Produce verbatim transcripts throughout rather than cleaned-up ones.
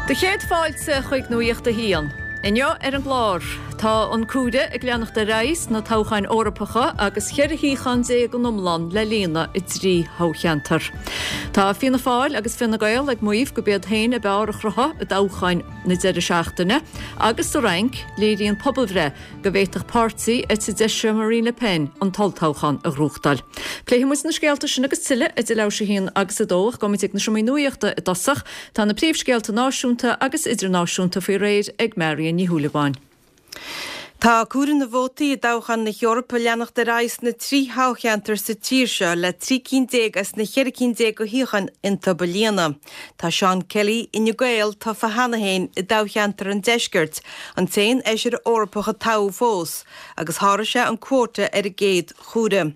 Do chéad fáilte chuig Nuacht a hAon. Inniu ar an gclár, tá an comhaireamh ag leanacht ar aghaidh sna toghcháin Eorpacha agus cheithre shuíochán déag in iomlán le líonadh i dtrí thoghcheantar. Tá Fianna Fáil agus Fine Gael ag maíomh gurb iad féin ab fhearr a chruthaigh i dtoghcháin na deireadh seachtaine, agus sa Fhrainc, léiríonn pobalbhreith go bhféadfadh páirtí eite deise Marine Le Pen an t-olltoghchán a ghnóthachtáil. Pléifidh muid na scéalta sin agus tuilleadh idir leathuair tar éis a haon agus a dó ach gabhfaidh muid ag na seomraí nuachta i dtosach, tá na príomhscéalta náisiúnta agus idirnáisiúnta faoi réir ag Marion Ní Shúilleabháin. Tá comhaireamh na vótaí i dtoghchán na hEorpa ag leanacht ar aghaidh sna trí thoghcheantar sa tír seo le trí cinn déag as na ceithre cinn déag de shuíocháin iontu a líonadh. Tá Seán Kelly Fhine Gael tofa cheana féin i dtoghcheantar an Deiscirt, an t-aon fheisire Eorpach a toghadh fós, agus sháraigh sé an cuóta ar an gcéad chomhaireamh.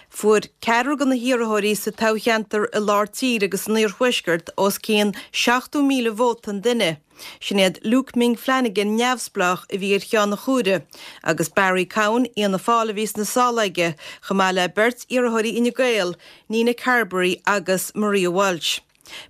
Fuair ceathrar de na hiarrthóirí sa toghcheantar i lár tíre agus san iarthuaisceart os cionn seachtó míle vóta an duine. Sin iad Luke Ming Flanagan neamhspleách a bhí ar cheann an chomhairimh, agus Barry Cowen Fhianna Fáil a bhí sna sála aige, chomh maith le beirt iarrthóirí Fhine Gael, Nina Carberry agus Maria Walsh.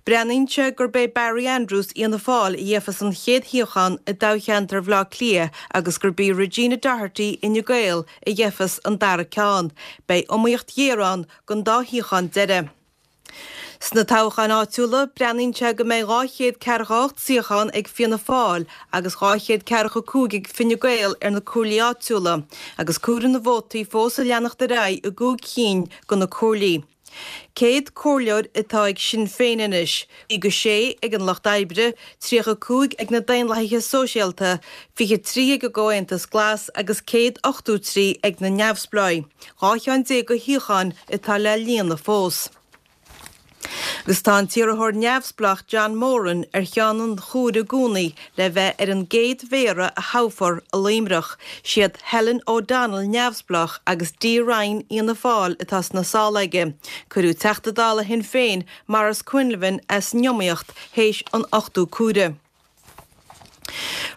Breathnaíonn sé gurb é Barry Andrews Fhianna Fáil a gheofas an chéad shuíochán i dtoghcheantar Bhaile Átha Cliath agus gurb í Regina Doherty Fhine Gael a gheofas an dara ceann. Beidh iomaíocht ghéar ann don dá shuíochán deiridh. Sna toghcháin áitiúla, breathnaíonn sé go mbeidh dhá chéad ceathracha ocht suíochán ag Fianna Fáil agus dhá chéad ceathracha cúig ag Fine Gael ar na comhairlí áitiúla, agus comhaireamh na vótaí fós ag leanacht ar aghaidh i gcúig cinn de na comhairlí. Céad comhairleoir atá ag Sinn Féin anois, caoga sé ag an Lucht Oibre, tríocha cúig ag na Daonlathaithe Sóisialta, fiche trí ag an gComhaontas Glas agus céad ochtó trí ag na Neamhspleáigh. Dhá cheann déag de shuíocháin atá le líonadh fós. Agus tá an t-iarrthóir neamhspleách John Moran ar cheann an chomhairimh i gcónaí le bheith ar an gcéad mhéara a thoghfar i Luimneach. Siad Helen O'Donnell neamhspleách agus Dee Ryan Fhianna Fáil atá sna sála aige. Cuireadh Teachta Dála Shinn Féin, Maurice Quinlivan as an iomaíocht théis an ochtú comhaireamh.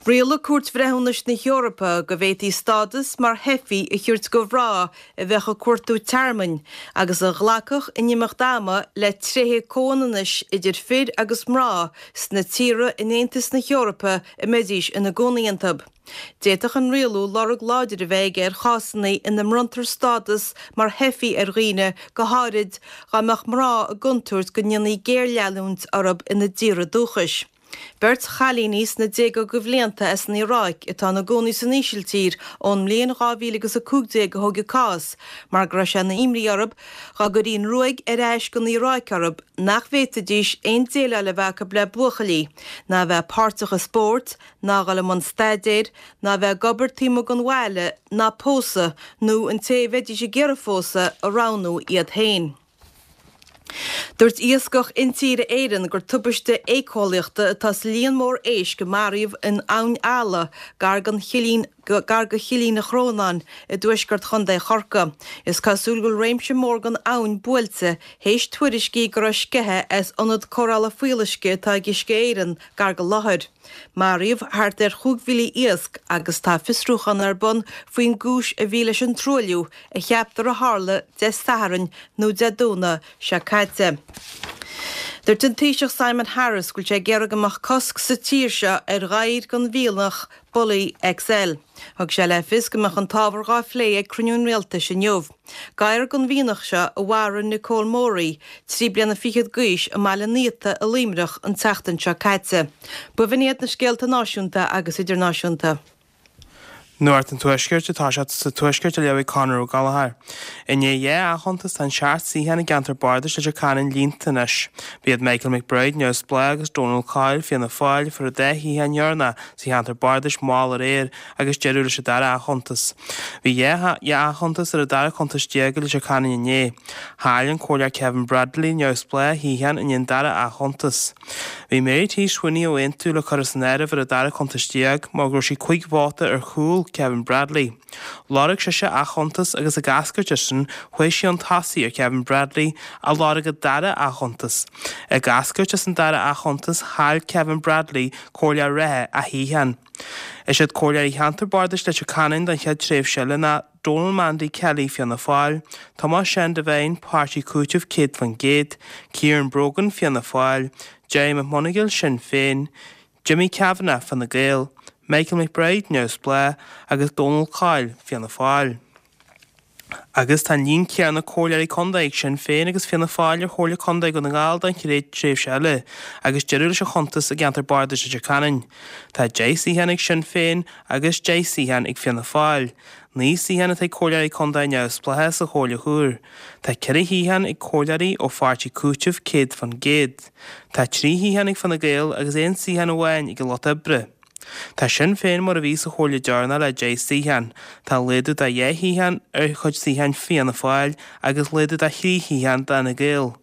Rialaigh Cúirt Bhreithiúnais na hEorpa go bhféadfaí stádas mar theifigh a thabhairt do mhná a bheadh ag cuartú tearmainn agus a ghlacfadh in imeacht ama le tréithe comhionannais idir fir agus mná sna tíortha in Aontas na hEorpa a mbeidís ina gcónaí iontu. D'fhéadfadh an rialú lorg láidir a bheith aige ar chásanna ina mbronntar stádas mar theifigh ar dhaoine, go háirid dá mbeadh mná i gcontúirt go ndéanfaí géarleanúint orthu ina dtíortha dúchais. Beirt chailíní sna déaga de bhlianta as an Iaráic atá ina gcónaí san Ísiltír ón mbliain dhá mhíle agus a cúig déag a thóg a gcás mar go raibh sé ina imní orthu dá gcuirfí an ruaig ar ais go an Iaráic orthu nach bhféadfaidís aon déileáil a bheith acu le buachaillí, ná a bheith páirteach i spórt, ná dhul i mbun staidéir, ná a bheith ag obair taobh amuigh den bhaile, ná pósadh, nó an té a bheidís ag iarraidh phósadh a roghnú iad féin. Dúirt Iascach Intíre Éireann gur tubaiste éiceolaíochta atá sa líon mór éisc a maraíodh in Abhainn Ealla gar don chillín gar do Chillín an Chrónáin i dtuaisceart Chontae Chorcaí. Is cosúil go bhfuil réimse mór den abhainn buailte théis tuairiscí go raibh sceitheadh as ionad cóireála fuíolluisce atá ag Uisce Éireann gar don láthair. Maraíodh thart ar chúig mhíle iasc agus tá fiosrúchán ar bun faoin gcúis a bhí leis an truailliú a cheaptar a tharla Dé Sathairn nó Dé Domhnaigh seo caite. Dúirt an Taoiseach Simon Harris go bhfuil sé ag iarraidh go mbeadh cosc sa tír seo ar ghadhair den mhianach Bully XL. Thug sé le fios go mbeadh an t-ábhar dhá phlé ag cruinniú an rialtais inniu. Gadhar den mhianach seo a mharaigh Nicole Morey, trí bliana fichead d'aois, i mBaile an Fhiata i Luimneach an tseachtain seo caite. B'in iad na scéalta náisiúnta agus idirnáisiúnta. Nuacht an Tuaiscirt atá sé sa Tuaisceart á léamh ag Conor Ó Gallchóir. I ndiaidh dhá athchuntas tá an seacht suíochán i gceantar bardais Leitir Ceanainn líonta anois. B'iad Michael McBride, Neamhspleách agus Donal Coyle, Fianna Fáil, a fuair an dá shuíochán dheireanach sa cheantar bardais mall aréir agus deireadh leis an dara athchuntas. Bhí dhá athchuntas ar an dara cuntas déag i Leitir Ceanainn inné. Chaill an Comhairleoir Kevin Bradley, Neamhspleách, shuíochán i ndiaidh an dara athchuntas. Bhí Mary T Swinney ó Aontú le cur as an áireamh ar an dara cuntas déag mar go raibh sí cúig vóta ar chúl Kevin Bradley. Lorg sise athchuntas agus ag eascairt as sin chuaigh sí chun tosaigh ar Kevin Bradley a lorg an dara athchuntas. Ag eascairt as an dara athchuntas chaill Kevin Bradley comhairleoir reatha a shuíochán. Is iad comhairleoirí cheantar bardais Leitir Ceanainn don chéad tréimhse eile ná Donal Mandy Kelly Fianna Fáil, Tomás Seán Devine, Páirtí Cúitimh céad faoin gcéad, Kieran Brogan Fianna Fáil, Jerry McMonagall Sinn Féin, Jimmy Kavanagh, Fine Gael, Michael McBride, Neamhspleách, agus Donal Coyle, Fianna Fáil. Agus tá an líon céanna comhairleoirí contae ag Sinn Féin agus Fianna Fáil ar Chomhairle Contae Dhún na nGall don chéad tréimhse eile, agus deireadh leis an chuntas i gceantar bardais Leitir Ceanainn. Tá deich suíochán ag Sinn Féin agus deich suíochán ag Fianna Fáil. Naoi suíochán atá ag comhairleoirí contae neamhspleácha sa Chomhairle Thoir. Tá ceithre shuíochán ag comhairleoirí ó pháirtí Cúitimh céad faoin gcéad. Tá trí shuíochán ag Fine Gael agus aon suíochán amháin ag an Lucht Oibre. Tá Sinn Féin mar a bhí sa chomhairle deireanach le deich suíochán. Tá laghdú de dhá shuíochán ar chuid suíocháin Fianna Fáil agus laghdú de thrí shuíochán d'Fhine Gael.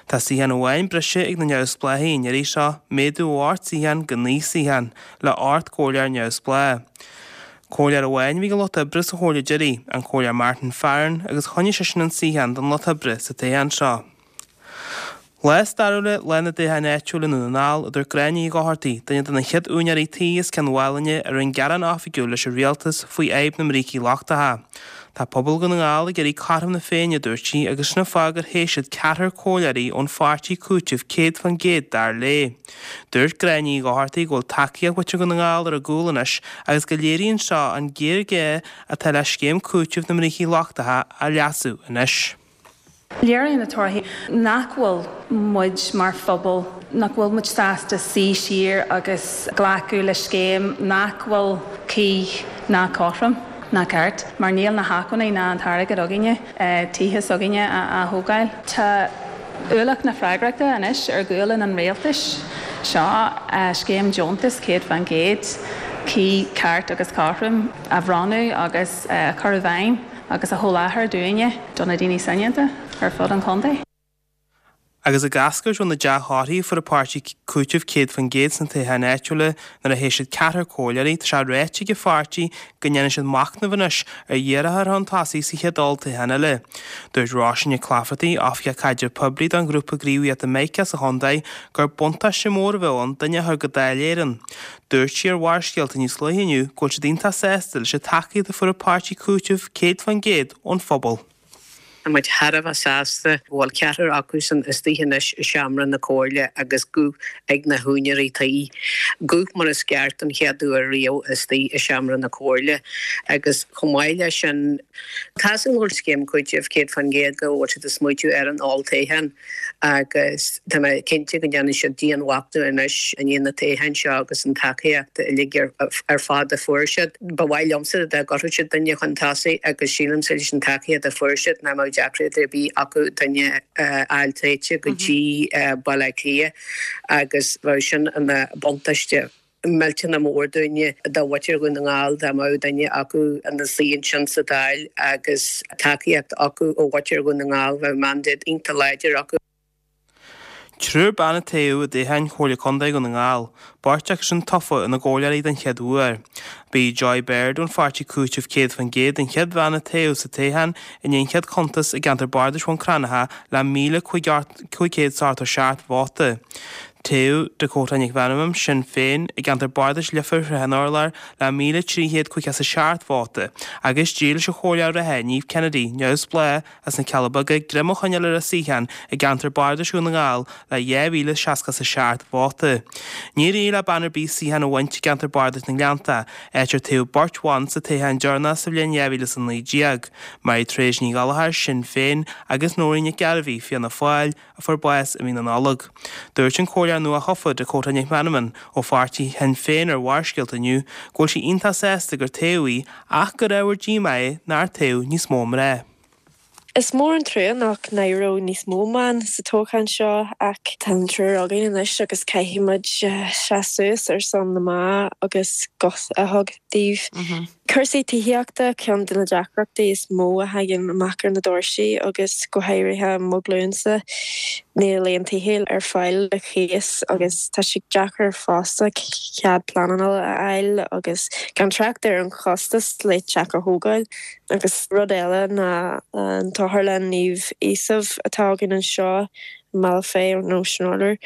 Tá suíochán amháin breise ag na neamhspleáchaigh an iarraidh seo, méadú ó ocht suíochán go naoi suíochán, le ocht gcomhairleoir neamhspleách. Comhairleoir amháin a bhí ag an Lucht Oibre sa chomhairle deiridh, an Comhairleoir Martin Farren, agus choinnigh seisean an suíochán don Lucht Oibre sa toghchán seo. Lá stairiúil é lá na dtoghchán áitiúil i nDún na nGall, a dúirt Gráinne Ní Dhochartaigh, duine de na chéad úinéirí tí as Cionn Mhálanna a rinne gearán oifigiúil leis an rialtas faoi fhadhb na mbrící lochtacha. Tá pobal Dhún na nGall ag iarraidh cothrom na Féinne, a dúirt sí, agus sin an fáth gur thoghadh siad ceathrar comhairleoirí ón pháirtí Cúitimh céad faoin gcéad dar léi. Dúirt Gráinne Ní Dhochartaigh go bhfuil tacaíocht mhuintir Dhún na nGall ar a gcúl anois agus go léiríonn seo an géarghá atá le scéim cúitimh na mbrící lochtacha a leasú anois. Léiríonn na torthaí nach bhfuil muid mar phobal, nach bhfuil muid sásta suí siar agus glacadh le scéim nach bhfuil cuí ná cothrom ná ceart, mar níl na hacmhainní ná an t-airgead againne tithe s'againne a thógáil. Tá ualach na freagrachta anois ar ghualainn an rialtais seo scéim deontas céad faoin gcéad cuí, ceart agus cothrom a bhronnadh agus a chur i bhfeidhm agus a sholáthar dúinne, do na daoine soineanta ar fud an chontae. Agus ag eascairt ó na dea-thorthaí a fuair an páirtí Cúitimh céad faoin gcéad sna toghcháin áitiúla nuair a thoghadh siad ceathrar comhairleoirí, tá sé ráite ag an pháirtí go ndéanfaidh siad machnamh anois ar iarrthóir a chur chun tosaigh sa chéad olltoghchán eile. Dúirt Róisín Nic Laifeartaigh, Oifigeach Caidrimh Poiblí don ghrúpa gníomhaíochta Mica sa chontae, gur buntáiste mór a bheadh ann duine a chur go Dáil Éireann. Dúirt sí ar Bharrscéalta níos luaithe inniu go bhfuil siad iontach sásta leis an tacaíocht a fuair an páirtí Cúitimh céad faoin gcéad ón phobal. Tá muid thar a bheith sásta go bhfuil ceathrar acusan istigh anois i seomra na Comhairle agus guth ag na húinéirí tí, guth mar is ceart don chéad uair riamh istigh i seomra na Comhairle. Agus chomh maith leis sin, tá a fhios againn go bhfuil scéim cúitimh céad faoin gcéad go bhfuil siad ag smaoitiú ar an olltoghchán agus tá mé cinnte go ndéanfaidh siad dianmhachnamh anois i ndiaidh na toghcháin seo agus an tacaíocht uilig ar fad a fuair siad. Ba mhaith liomsa dá gcuirfeadh siad duine chun tosaigh agus sílimse leis an tacaíocht a fuair siad nach mbeadh deacracht ar bith acu duine a fháil tofa go dtí Baile Átha Cliath agus bheadh sin ina buntáiste millteanach mór dúinne, do mhuintir Dhún na nGall dá mbeadh duine acu ina suí ansin sa Dáil agus tacaíocht acu ó mhuintir Dhún na nGall, bheadh mandate iontach láidir acu. Triúr ban a toghadh i dtoghchán Chomhairle Contae Dhún na nGall, beirt acu sin tofa ina gcomhairleoirí den chéad uair. Ba í Joy Baird ón pháirtí Cúitimh céad faoin gcéad an chéad bhean a toghadh sa toghchán i ndiaidh an chéad chuntas i gceantar bardais Bhun Cranncha le míle cúig chéad is ochtó seacht vóta. Toghadh Dakota Nic Mheanman, Sinn Féin, i gceantar bardais Leifear Shraith an Urláir le míle trí chéad caoga is a seacht vóta agus d'éirigh leis an chomhairleoir reatha Niamh Kennedy, Neamhspleách, As na Cealla Beaga, greim a choinneáil ar a suíochán i gceantar bardais Dhún na nGall le dhá mhíle seasca is a seacht vóta. Níor éirigh le bean ar bith suíochán a bhaint i gceantar bardais na nGleannta, áit ar toghadh beirt bhan sa toghchán deireanach sa bhliain dhá mhíle is a naoi déag, Mary Therese Ní Ghallchóir, Sinn Féin, agus Nóirín Nic Gairbhí, Fianna Fáil, a fuair bás i mí na Nollag. Dúirt an comhairleoir nua-thofa, Dakota Nic Mheanman, ó pháirtí Shinn Féin ar Bharrscéalta inniu go bhfuil sí iontach sásta gur toghadh í ach gur ábhar díomá é nár toghadh níos mó mná. Is mór an trua nach n-éireodh níos mó ban sa toghchán seo ach tá an triúr againn anois agus caithfidh muid seasamh suas ar son na mban agus guth a thabhairt dóibh. Cúrsaí tithíochta ceann de na deacrachtaí is mó a thagann amach ar na doirsí agus go háirithe mo ghlúinsa níl aon tithe ar fáil le cíos agus tá sé deacair fosta cead pleanála a fháil agus gan trácht ar an chostas le teach a thógáil. Agus rud eile ná an tOtharlann Naomh Iosaf atá againn anseo, mBealach Féich nó san Urlár.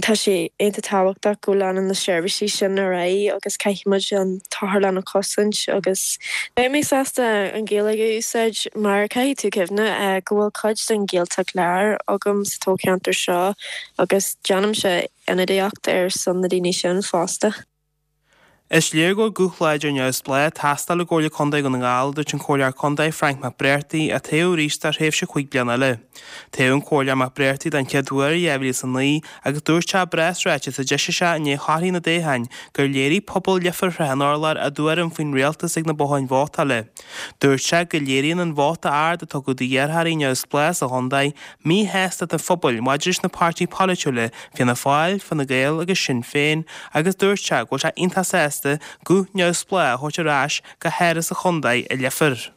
Tá sé iontach tábhachtach go leanann na seirbhísí sin ar aghaidh agus caithfidh muid an t-otharlann a chosaint agus beidh mé sásta an Ghaeilge a úsáid mar caithfidh tú cuimhneamh go bhfuil cuid den Ghaeltacht Láir agam sa toghcheantar seo agus déanaimse ionadaíocht ar son na daoine sin fosta. Is léir go bhfuil guth láidir neamhspleách ag teastáil i gComhairle Contae Dhún na nGall, a dúirt an Comhairleoir Contae Frank McBrearty, a toghadh arís do thréimhse cúig bliana eile. Toghadh an Comhairleoir McBrearty den chéad uair i dhá mhíle is a naoi agus dúirt sé i bpreasráiteas a d'eisigh sé i ndiaidh thorthaí na dtoghchán gur léirigh pobal Leifear Thrá an Urláir a dtuairim faoin rialtas ag na botháin vótála. Dúirt sé go léiríonn an vóta ard a tugadh d'iarrthóirí neamhspleácha sa chontae míshástacht an phobail maidir leis na páirtithe polaitiúla Fianna Fáil, Fine Gael agus Sinn Féin agus dúirt sé go bhfuil sé iontach sásta guth neamhspleách a thabhairt ar ais go hÁras an Chontae i Leifear.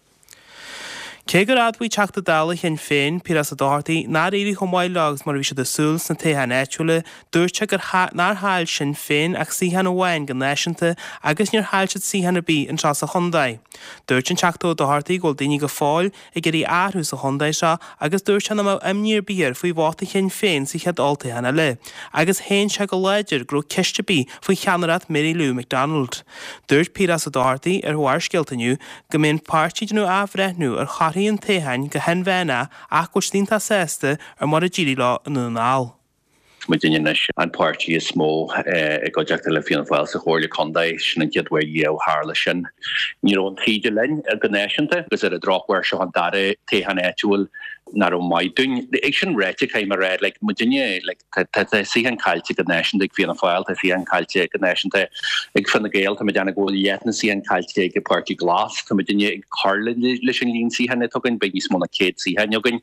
Cé gur admhaigh Teachta Dála Shinn Féin, Piaras Ó Dochartaigh, nár éirigh chomh maith leo agus mar a bhí siad ag súil sna toghcháin áitiúla, dúirt sé gur nár chaill Sinn Féin ach suíochán amháin go náisiúnta agus níor chaill siad suíochán ar bith anseo sa chontae. Dúirt an Teachta Ó Dochartaigh go bhfuil daoine go fóill ag iarraidh athrú sa chontae seo agus dúirt sé nach mbeadh imní ar bith air faoi vóta Shinn Féin sa chéad olltoghchán eile agus shéan sé go láidir go raibh ceist ar bith faoi cheannaireacht Mary Lou McDonald. Dúirt Piaras Ó Dochartaigh ar Bharrscéalta inniu go mbeidh an páirtí ag déanamh athbhreithniú ar thorthaí an toghcháin go hinmheánach ach go bhfuil siad iontach sásta ar mar a d'éirigh leo i nDún na nGall. Muidinne anois an páirtí is mó i gcuideachta le Fianna Fáil sa Chomhairle Contae, sin an chéad uair riamh a tharla sin. Ní raibh an taoide linn go náisiúnta agus ar an drochuair seo an dara toghchán áitiúil nach raibh maith dúinn. É sin ráite, caithfidh mé a rá, like, muidinne, like, tá, tá, tá suíochán caillte go náisiúnta ag Fianna Fáil, tá suíochán caillte go náisiúnta ag Fine Gael, tá muid ag déanamh go bhfuil leath na suíochán caillte ag an Páirtí Glas, tá muidinne ag cur leis an líon suíochán atá againn, beidh níos mó ná céad suíochán againn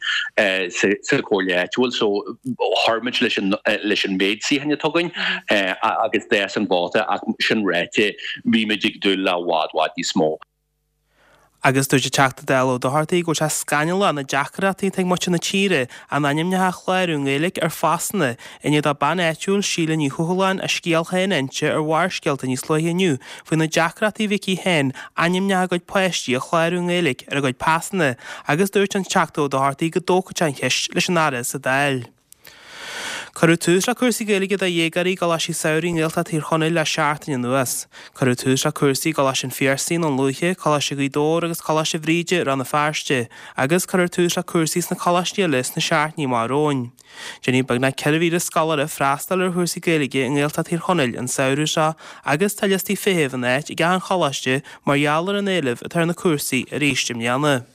sa, sa chomhairle áitiúil, so chuir muid leis an, leis an méid suíochán atá againn agus d'fhás an vóta ach sin ráite, bhí muid ag dúil le i bhfad, bhfad níos mó. Agus dúirt an Teachta Dála Ó Dochartaigh go bhfuil sé scannalach na deacrachtaí atá ag muintir na tíre a n-ainmneacha a chlárú i nGaeilge ar phasanna i ndiaidh do bean áitiúil Síle Ní Thuathaláin a scéal féin a inse ar Bharrscéalta níos luaithe inniu faoi na deacrachtaí a bhí aici féin ainmneacha a gcuid páistí a chlárú i nGaeilge ar a gcuid pasanna agus dúirt an Teachta Ó Dochartaigh go dtógfadh sé an cheist leis an Aire sa Dáil. Cuireadh tús le cúrsaí Gaeilge do dhéagóirí i gcoláistí samhraidh i nGaeltacht Thír Chonaill le seachtain anuas. Cuireadh tús le cúrsaí i gColáiste an Phiarsaigh i nDún Lúiche, Coláiste Ghaoth Dobhair agus Coláiste Bhríde i Rann na Feirste agus cuirfear tús le cúrsaí sna coláistí eile sna seachtainí amach romhainn. Déanfaidh beagnach ceithre mhíle scoláire freastal ar chúrsaí Gaeilge i nGaeltacht Thír Chonaill an samhradh seo agus tá liostaí feithimh in áit ag achan choláiste mar gheall ar an éileamh atá ar na cúrsaí arís i mbliana.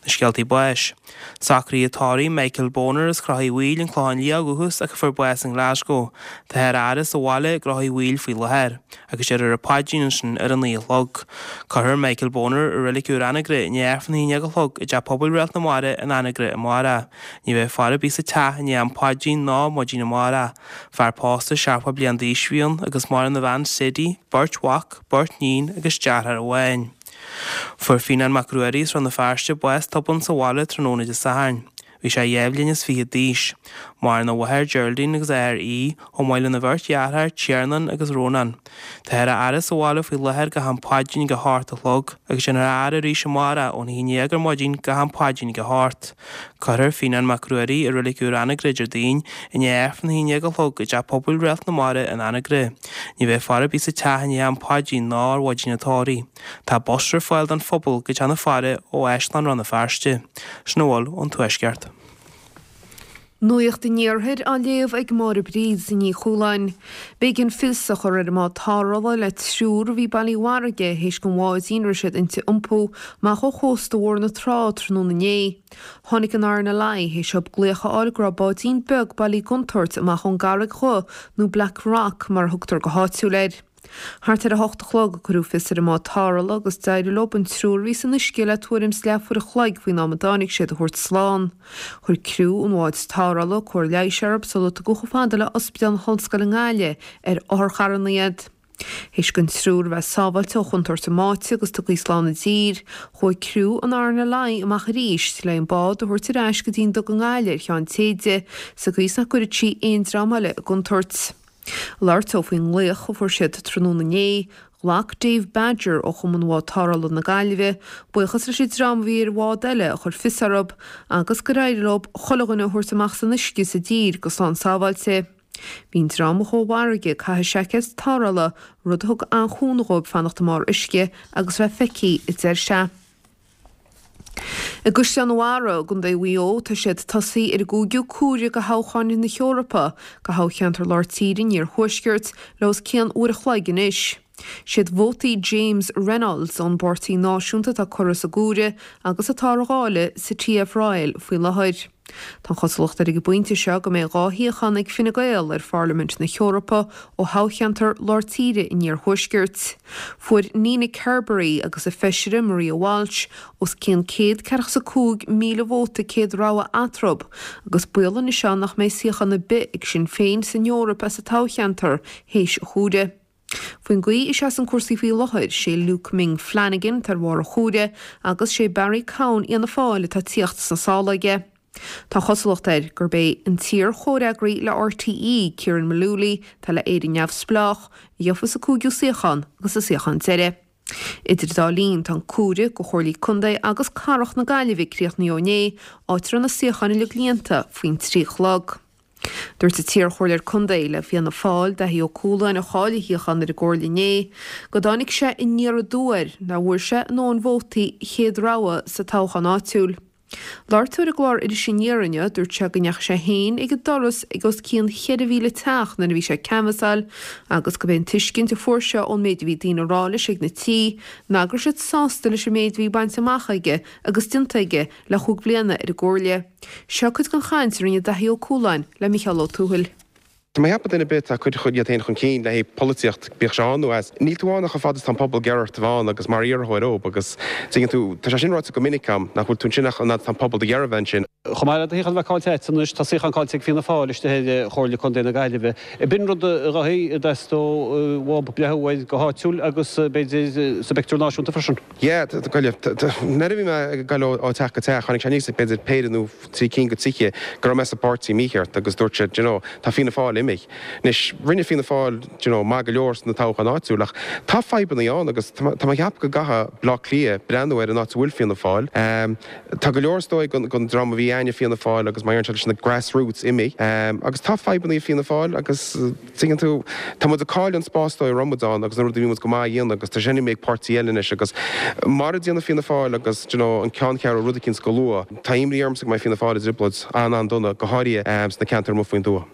Na scéaltaí báis. Socruithe tórraimh Michael Boner as Crochaidh Mhaoil, An Clochán Liath ó dhúchas ach a fuair bás i nGlasgow. Táthar á fhaire sa bhaile i gCrochaidh Mhaoil faoi láthair. Agus déarfar an paidrín ansin ar a naoi a chlog. Cuirfear Michael Boner i Reilig Úr Anagaire i ndiaidh Aifreann a haon déag a chlog i dTeach Pobail Réalt na Mara in Anagaire amárach. Ní bheidh faire ar bith sa teach i ndiaidh an phaidrín ná maidin amárach. Fear pósta seachtó bliain d'aois a bhí ann agus maireann a bhean Sadie, beirt mhac, beirt níon agus deartháir amháin. Fuair Fionán Mac Ruairí as Rann na Feirste bás tobann sa bhaile tráthnóna Dé Sathairn. Bhí sé dhá bhliain is fiche d'aois. Maireann a mháthair Geraldine agus a athair Aodh, chomh maith lena bheirt dheartháir, Tiarnán agus Rónán. Táthar á fhaire sa bhaile faoi láthair go ham paidrín ag a hocht a chlog agus déanfar a fhaire arís amárach ón haon déag ar maidin go ham paidrín ag a hocht. Cuirfear Fionán Mac Ruairí i Reilig Úr Anagaire Déardaoin i ndiaidh Aifreann a haon déag a chlog i dTeach Pobail Réalt na Mara in Anagaire. Ní bheidh faire ar bith sa teach i ndiaidh am paidrín ná ar mhaidin an tórraimh. Tá bus ar fáil don phobal go teach na faire ó Áislann Rann na Feirste. Sin a bhfuil ón Tuaisceart. Nuacht an Iarthair á léamh ag Máire Bríd Ní Chualáin. B'éigean fios a chur ar an mbád tarrthála le triúr a bhí bailithe i bhfarraige théis don bháidín a raibh siad inti iompú amach ó chósta Bhóthar na Trá tráthnóna inné. Tháinig an RNLI théis dóibh glaoch a fháil go raibh báidín beag bailithe i gcontúirt amach ón gCarraig Dhubh nó Black Rock mar a thugtar go háitiúil air. Thart ar a hocht a chlog a cuireadh fios ar an mbád tarrthála agus d'éirigh leo an triúr a bhí san uisce le tuairim is leathuair a chloig faoin am a dtáinig siad a thabhairt slán. Chuir criú an bháid tarrthála cóir leighis orthu sular tugadh chomh fada le Ospidéal na hOllscoile i nGaillimh ar otharcharranna iad. Théis don triúr a bheith sábháilte ó chontúirt a mbáite agus tugtha slán i dtír, chuaigh criú an RNLI amach arís le an bád a thabhairt ar ais go dtí an duga i nGaillimh ar Cheann Téide, sa gcaoi is nach gcuirfeadh sí aon dream eile i gcontúirt. Labhairt dó faoin nglaoch a fuair siad tráthnóna inné, Ghlac Dave Badger ó Chumann Bhád Tarrthála na Gaillimhe buíochas leis an dream a bhí ar bhád eile a chuir fios orthu agus gur éirigh leo chuile dhuine a thabhairt amach as an uisce sa dtír go slán sábháilte. Bhí an dream a chuaigh i bhfarraige ag caitheamh seaicéad tarrthála, rud a thug an-chúnamh dhóibh fanacht i mbarr uisce agus bheith feicthe, a deir sé. I gCaisleán an Bharraigh i gContae Mhaigh Eo tá siad tosaithe ar an gcúigiú cuaire do thoghcháin na hEorpa do thoghcheantar Lár Tíre an Iarthuaiscirt le os cionn uair a chloig anois. Siad vótaí James Reynolds ón bPáirtí Náisiúnta atá curtha sa gcuaire agus atá á dháileadh sa TF Royal faoi láthair. Tá an chosúlacht ar ag an bpointe seo go mbeidh dhá shuíochán ag Fine Gael ar Pharlaimint na hEorpa ó thoghcheantar Lár Tíre an Iarthuaiscirt. Fuair Nina Carberry agus a feisire Maria Walsh os cionn céad ceathracha is a cúig míle vóta céad rogha eatarthu agus baol anois ann nach mbeidh suíochán ar bith ag Sinn Féin san Eoraip as an toghcheantar théis an chuaire. Faoin gcaoi a seasann cúrsaí faoi láthair, sé Luke Ming Flanagan atá ar bharr an chuaire agus sé Barry Cowen Fhianna Fáil atá tíocht sna sála aige. Tá an chosúlacht air gurb é an t-iar-chomhfhreagraí le RTÉ, Ciaran Mullooly, atá le Éire Neamhspleách, a gheofas an cúigiú suíochán agus an suíochán deiridh. Idir an dá linn, tá an cuaire do Chomhairlí Contae agus Cathrach na Gaillimhe críochnaithe ó inné, áit a raibh na suíocháin uilig líonta faoin trí a chlog. Dúirt an t-iarchomhairleoir contae le Fianna Fáil, Daithí Ó Cualáin, a chaill a shuíochán ar an gcomhairle inné, go dtáinig sé aniar aduaidh air nach bhfuair sé a ndóthain vótaí chéad rogha sa toghchán áitiúil. Labhairt dó ar an gclár Iris Aniar inniu, dúirt sé go ndeachaigh sé féin ag an doras ag os cionn cheithre mhíle teach nuair a bhí sé ag canbhasáil agus gurb é an tuiscint a fuair sé ón méid a bhí daoine a rá leis ag na tithe ná go raibh siad sásta leis an méid a bhí bainte amach aige agus déanta aige le chúig bhliana ar an gcomhairle. Seo cuid den chaint a rinne Daithí Ó Cualáin le Micheál Ó Tuathail. Tá mé ag ceapadh duine ar bith atá ag cur iad féin chun cinn le haghaidh polaitíocht, bíodh sé ann nó as, níl tú ann ach chomh fada is tá an pobal ag iarraidh ort a bheith ann agus mar iarrthóir dóibh agus tuigeann tú, tá sé sin ráite go minic agam, nach bhfuil tú ansin ach an fhad is tá an pobal do iarraidh bheith ansin. Chomh maith le do shuíochán a bheith caillte agat anois, tá suíochán caillte ag Fianna Fáil istigh ar Chomhairle Contae na Gaillimhe. B'in rud a Dhaithí, a dteastódh uathub breathnú air go háitiúil agus b'fhéidir sa bpictiúr náisiúnta freisin. Yeah, Gaillimh. Nuair a bhí mé ag dul ó teach go teach, tháinig sé aníos ag b'fhéidir péire nó trí cinn de tithe go raibh mé sa bpáirtí mícheart agus dúirt siad, you know, tá Fianna Fáil imithe. Anois, rinne Fianna Fáil, you know, maith go leor sna toghcháin áitiúil ach tá fadhbanna ann agus tá mé ag ceapadh go gcaithfidh Bleá Cliath breathnú ar an áit a bhfuil Fianna Fáil. Tá go leor is dóigh den dream a bhí ag Fianna Fáil agus mar deireann siad leis na grassroots imithe agus tá fadhbanna ag Fianna Fáil agus tuigeann tú, tá muid ag cailleadh an spás dóigh a raibh muid ann agus na rudaí a bhí muid go maith a dhéanamh agus tá sin imithe ag páirtí eile anois agus mara ndéanann Fianna Fáil agus do you know an ceanncheathrú rud eicínt go luath, tá imní ormsa go mbeidh Fianna Fáil i dtrioblóid an-an-dona, go háirithe sna ceantair amuigh faoin dtuath.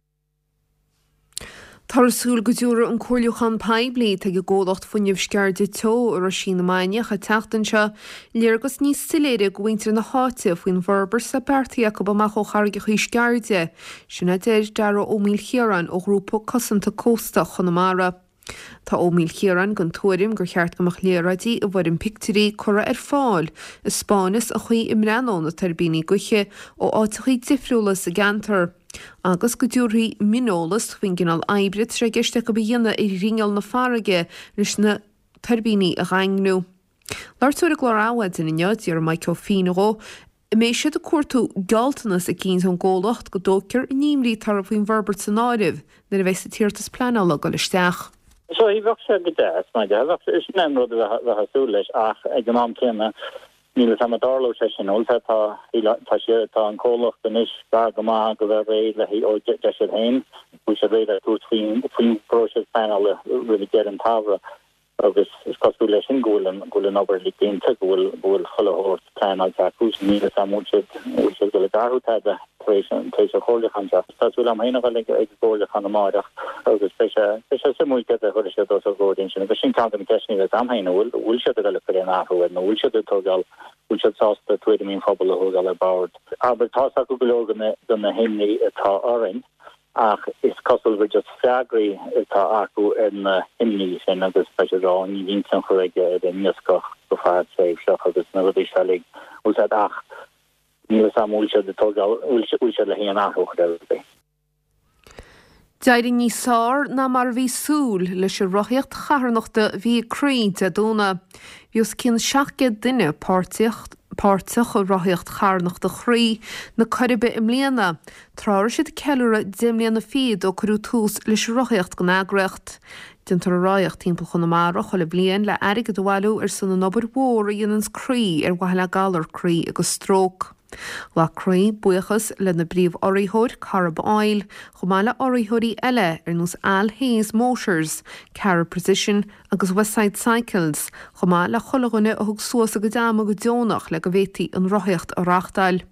Táthar ag súil go dtabharfaidh an comhairliúchán poiblí atá ag an gcomhlacht fuinnimh Sceirde Teo i Roisín na Mainiach an tseachtain seo léargas níos soiléire do mhuintir na háite faoin bhforbairt atá beartaithe acu amach ó charraigeacha Sceirde, sin a deir Dara Ó Maoilchiaráin ó Ghrúpa Cosanta Cósta Chonamara. Tá Ó Maoilchiaráin den tuairim gur cheart go mbeadh léaráidí i bhfoirm pictiúirí curtha ar fáil a 'spáineas an chaoi a mbreathnódh na tuirbíní gaoithe ó áiteachaí difriúla sa gceantar agus go dtabharfaí mioneolas faoin gcineál oibre atá sé i gceist acu a dhéanamh ar ghrinneall na farraige leis na tuirbíní a dhaingniú. Labhairt dó ar an gclár Adhmhaidin inniu, d'iarr Maidhc Ó Fiaich dhó an mbeidh siad ag cuartú gealltanas eicínt ón gcomhlacht go dtógfar a n-imní atá orthu faoin bhforbairt san áireamh nuair a bheidh an t-iarratas pleanála ag dul isteach. So bheadh sé go deas, mar bheadh sé, sin an rud a bheifeá ag súil leis ach ag an am céanna níl a fhios agam an dtarlódh sé sin. Bhuel tá, tá sé, tá an comhlacht anois gar go maith go bheith réidh le haghaidh, ó deir siad féin, go bhfuil siad réidh le tabhairt faoin, faoin bpróiseas pleanála roimh deireadh an tsamhraidh. Agus is cosúil leis sin go bhfuil an, go bhfuil an obair uilig déanta, go bhfuil, go bhfuil chuile shórt pleanáilte acu. So níl a fhios agam an bhfuil siad, an bhfuil siad ag dul ag athrú tada tar éis an, tar éis an chomhairliúcháin seo. Tá súil agam féin a dhul ag, ag an gcomhairliúchán amáireach agus beidh sé, beidh sé suimiúil céard a chuirfidh siad os ár gcomhair ansin. Agus sin ceann de na ceisteanna a bheas agam féin, an bhfuil, an bhfuil siad ag dul ag cur aon athrú air nó an bhfuil siad ag tógáil, bhfuil siad sásta tuairimí an phobail a thógáil ar bord? Abair, tá's acu go leor de na, de na himní atá orainn. Ach is cosúil gur just freagraí atá acu ar na himní sin agus tá siad ag rá ní bhíonn tionchar aige ar an iascach go fadtréimhseach agus na rudaí seo uilig, bhfuil siad ach níl a fhios agam bhfuil siad ag tógáil, bhfuil siad le haon athrú a chur ar rudaí. D'éirigh níos fearr ná mar a bhí súil leis an rothaíocht charthanachta a bhí ag Croí Dé Domhnaigh. Bhí Bhí os cionn seacht gcéad duine páirteach i Rothaíocht Charthanachta Chroí na Coiribe i mbliana, tráth a raibh siad ag ceiliúradh deich mbliana fichead ó cuireadh tús leis an rothaíocht den eagraíocht. Déantar an rothaíocht timpeall Chonamara chuile bhliain le airgead a bhailiú ar son an obair mhór a dhéananns Croí ar mhaithe le galar croí agus stróc. Ghlac Croí buíochas lena bpríomh-urraitheoir Corrib Oil, chomh maith le urraitheoirí eile ar nós Al Hayes Motors, Cara Precision agus Westside Cycles, chomh maith le chuile dhuine a thug suas a gcuid ama go deonach le go bhféadfaí an rothaíocht a reáchtáil.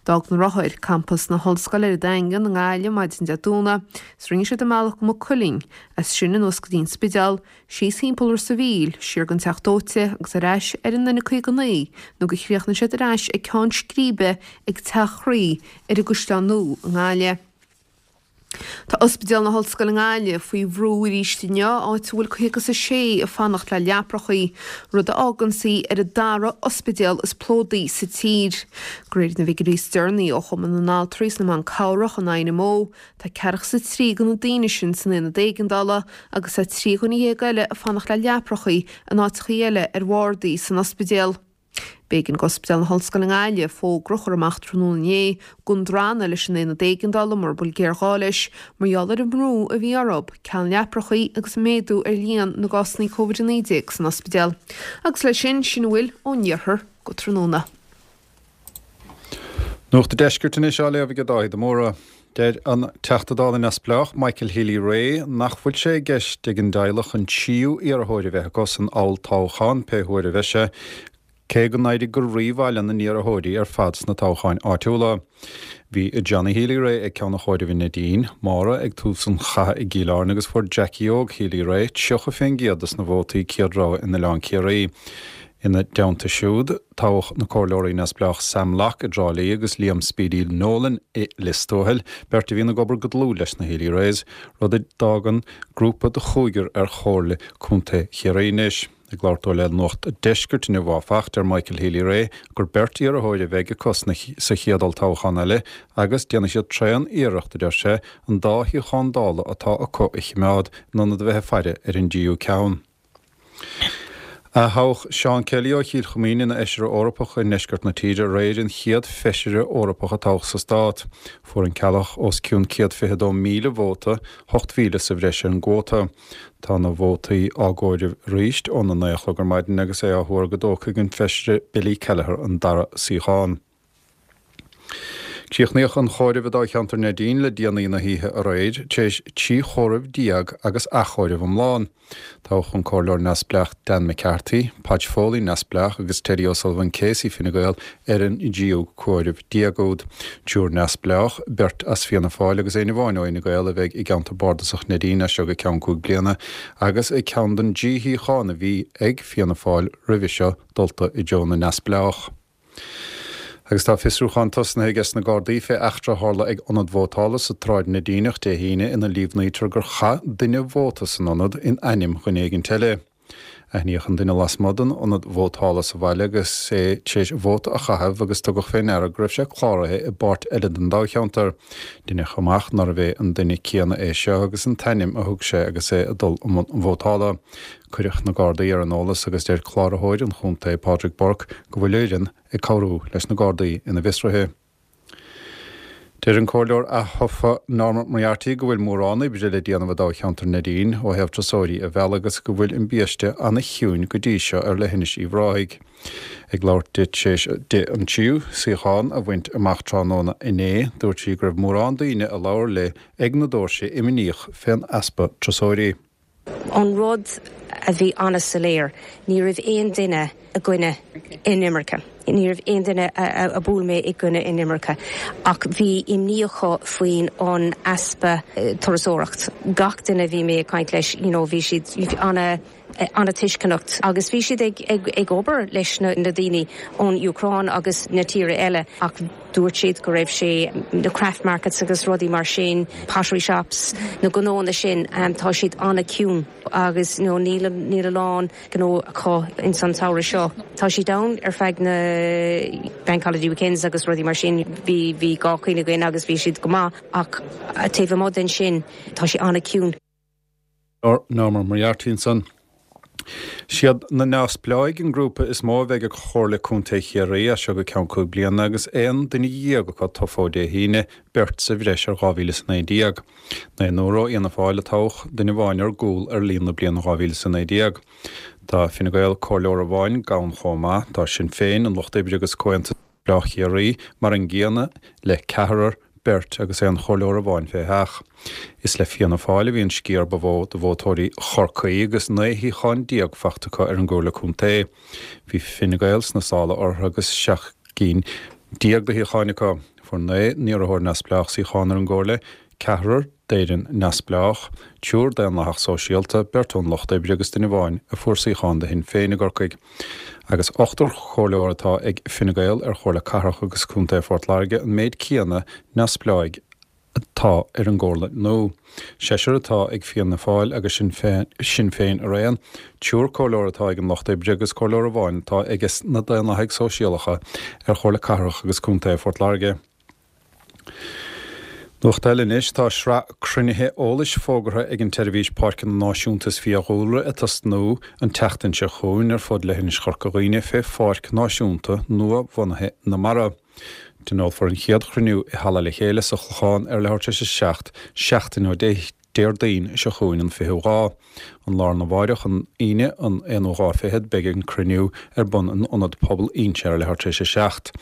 D'fhág na rothair campas na hOllscoile ar an Daingean i nGaillimh maidin Dé Domhnaigh is rinne siad a mbealach go Maigh Cuilinn, as sin anuas go dtí an Spidéal, síos thimpeall Ros a' Mhíl, siar don Teach Dóite agus ar ais ar an N caoga naoi nó gur chríochnaigh siad ar ais ag ceann scríbe ag Teach Chroí ar an gCaisleán Nua i nGaillimh. Tá Ospidéal na hOllscoile i nGaillimh faoi bhrú arís inniu, áit a bhfuil caoga is a sé ag fanacht le leaprachaí, rud a fháganns í ar an dara ospidéal is plódaí sa tír. De réir na bhfigiúirí is deireanaí ó Chumann na nAltraí is na mBan Cabhrach, an INMO, tá ceathracha is a trí de na daoine sin san aonad éigeandála agus tá trí dhuine dhéag eile ag fanacht le leaprachaí in áiteachaí eile ar bhardaí san ospidéal. B'éigean d'Ospidéal na hOllscoile i nGaillimh fógra a chur amach tráthnóna inné gan drannadh leis an aonad éigeandála mura bhfuil géarghá leis, mar gheall ar an mbrú a bhí orthu, ceal leaprachaí agus méadú ar líon na gcásanna Covid a naoi déag san ospidéal. Agus leis sin, sin a bhfuil ón iarthar go tráthnóna. Nuacht an Deiscirt anois á léamh ag Dáithí de Mórdha. Deir an Teachta Dála neamhspleách Michael Healy-Rae nach bhfuil sé i gceist ag an dteaghlach an tríú iarrthóir a bheith acu san olltoghchán pé huair a bheidh sé, cé go n-éirigh go rímhaith lena n-iarrthóirí ar fad sna toghcháin áitiúla. Bhí Johnny Healy-Rae ag ceann an chomhairimh i Neidín, Máire ag tús an chatha i gCill Airne agus fuair Jackie Óg Healy-Rae tríocha fén gcéad dos na vótaí céad rogha in Oileán Ciarraí. Ina dteannta siúd, toghadh na comhairleoirí neamhspleách Sam Locke i dTrá Lí agus Liam Speedy Nolan i Lios Tuathail, beirt a bhíonn ag obair go dlúth leis na Healy-Raes, rud a d'fhágann grúpa de chúigear ar Chomhairle Contae Chiarraí anois. Ag labhairt dó le Nuacht an Deiscirt inniu áfach, deir Michael Healy-Rae gur beirt iarrthóir a bheidh acu sa chéad olltoghchán eile agus déanfaidh siad tréan-iarracht, a deir sé, an dá shuíochán Dála atá acu a chimeád in ionad a bheith ag faire ar an dtríú ceann. Atoghadh Seán Kelly ó Chill Choimín ina Fheisire Eorpach i ndeisceart na tíre aréir, an chéad Feisire Eorpach a toghadh sa stát. Fuair an Ceallach os cionn céad fiche dó míle vóta, ocht mhíle sa bhreis ar an gcuóta. Tá na vótaí á gcomhaireamh arís óna naoi a chlog ar maidin agus é á thuar go dtógfaidh an Feisire Billy Kelleher an dara suíochán. Críochnaíodh an chomhaireamh i dáilcheantar Neidín le déanaí na hoíche aréir, tar éis trí chomhaireamh déag agus athchomhaireamh iomlán. Toghadh an Comhairleoir Neamhspleách Dan McCarthy, Podge Foley, Neamhspleách, agus Teddy O'Sullivan Casey, Fine Gael, ar an dtríú comhaireamh déag úd. Triúr Neamhspleách, beirt as Fianna Fáil agus éinne amháin ó Fhine Gael a bheidh i gceantar bardasach Neidín as seo go ceann cúig bliana agus ceann den dtrí shuíochán a bhí ag Fianna Fáil roimhe seo dulta i dtreo na Neamhspleách. Agus tá fiosrúchán tosnaithe aige sna Gardaí fé eachtra a tharla ag ionad vótála sa tSráid Neidíneach Dé hAoine ina líomhnaítear gur chaith duine vóta san ionad in ainm dhuine éigint eile. Aithníodh an duine lasmuigh den ionad vótála sa bhaile agus é tar éis vóta a chaitheamh agus tugadh fé ndeara go raibh sé cláraithe i bpáirt eile den dáilcheantar. Deineadh amach nárbh é an duine céanna é seo agus an t-ainm a thug sé agus é ag dul i mbun an vótála. Cuireadh na Gardaí ar an eolas agus deir Cláraitheoir an chontae, Pádraig Burke, go bhfuil fhoireann ag cabhrú leis na Gardaí ina bhfiosruithe. Deir an Comhairleoir ath-thofa Norma Moriarty go bhfuil mórán oibre le déanamh i dtoghcheantar Neidín ó thaobh turasóirí a mhealladh agus go bhfuil an biaiste ana-chiúin go dtí seo ar leithinis Uíbh Ráthaigh. Ag labhairt di tar éis di an tríú suíochán a bhaint amach tráthnóna inné, dúirt sí go raibh mórán daoine a labhair léi ag na doirse imníoch fén easpa turasóirí. An rud a bhí an-soiléir, ní raibh aon duine i gcoinne inimirce, ní raibh aon duine a bhuail mé i gcoinne inimirce, ach bhí imní acu faoin an easpa turasóireacht. Gach duine a bhí mé ag caint leis, you know, bhí siad ana an-tuisceanach agus bhí siad ag ag ag obair leis na na daoine ón Úcráin agus na tíre eile ach dúirt siad go raibh sé na craft markets agus rudaí mar sin, pottery shops, na gnónna sin, tá siad an-chiúin agus you know níl níl a lán gnó acu ins an tsamhradh seo. Tá siad ann ar feadh na bank holiday weekends agus rudaí mar sin, bhí bhí dhá choinne againn agus bhí siad go maith ach taobh amuigh den sin tá sé an-chiúin. Norma Moriarty ansan. Siad na Neamhspleáigh an grúpa is mó a bheidh ag Comhairle Contae Chiarraí as seo go ceann cúig bliana agus aon duine dhéag acu tofa ó Dé hAoine, beirt sa bhreis ar dhá mhíle is a naoi déag. Naonúr ó Fhianna Fáil a toghadh, duine amháin ar gcúl ar líon na bliana dhá mhíle is a naoi déag. Tá Fine Gael comhairleoir amháin gann chomh maith. Tá Sinn Féin, an Lucht Oibre agus Comhaontas Neamhspleách Chiarraí mar an gcéanna le ceathrar, beirt agus aon chomhairleoir amháin fé sheach. Is le Fianna Fáil a bhí an sciar ba mhó de vótóirí Chorcaí agus naoi shuíochán déag faighte acu ar an gComhairle Contae. Bhí Fine Gael sna sála orthu agus seacht gcinn déag de shuíocháin acu. Fuair naoi n-iarrthóir neamhspleách suíochán ar an gComhairle, ceathrar d'Éirinn Neamhspleách, triúr Daonlathach Sóisialta, beirt ón Lucht Oibre agus duine amháin a fuair suíochán do Shinn Féin i gCorcaigh. Agus ochtar comhairleoir atá ag Fine Gael ar Chomhairle Cathrach agus Contae Phort Láirge, an méid céanna neamhspleáigh atá ar an gComhairle nua. Seisear atá ag Fianna Fáil agus Sinn Féin araon, triúr comhairleoir atá ag an Lucht Oibre agus comhairleoir amháin atá aige na Daonlathaigh Sóisialacha ar Chomhairle Cathrach agus Contae Phort Láirge. Nuacht eile anois, tá sraith cruinnithe eolais fógartha ag an tSeirbhís Páirceanna Náisiúnta is Fiadhúlra ag tosnú an tseachtain seo chugainn ar fud leithinis Chorca Dhuibhne fé Pháirc Náisiúnta nua-bhunaithe na Mara. Tionólfar an chéad chruinniú i Halla Le Chéile sa Chlochán ar leathuair tar éis a seacht, seachtain ó Dé Déardaoin seo chugainn an fichiú lá. An lá arna mháireach, an Aoine, an aonú dhá fichead, beidh an cruinniú ar bun in Ionad Pobail Inse ar leathuair tar éis a seacht.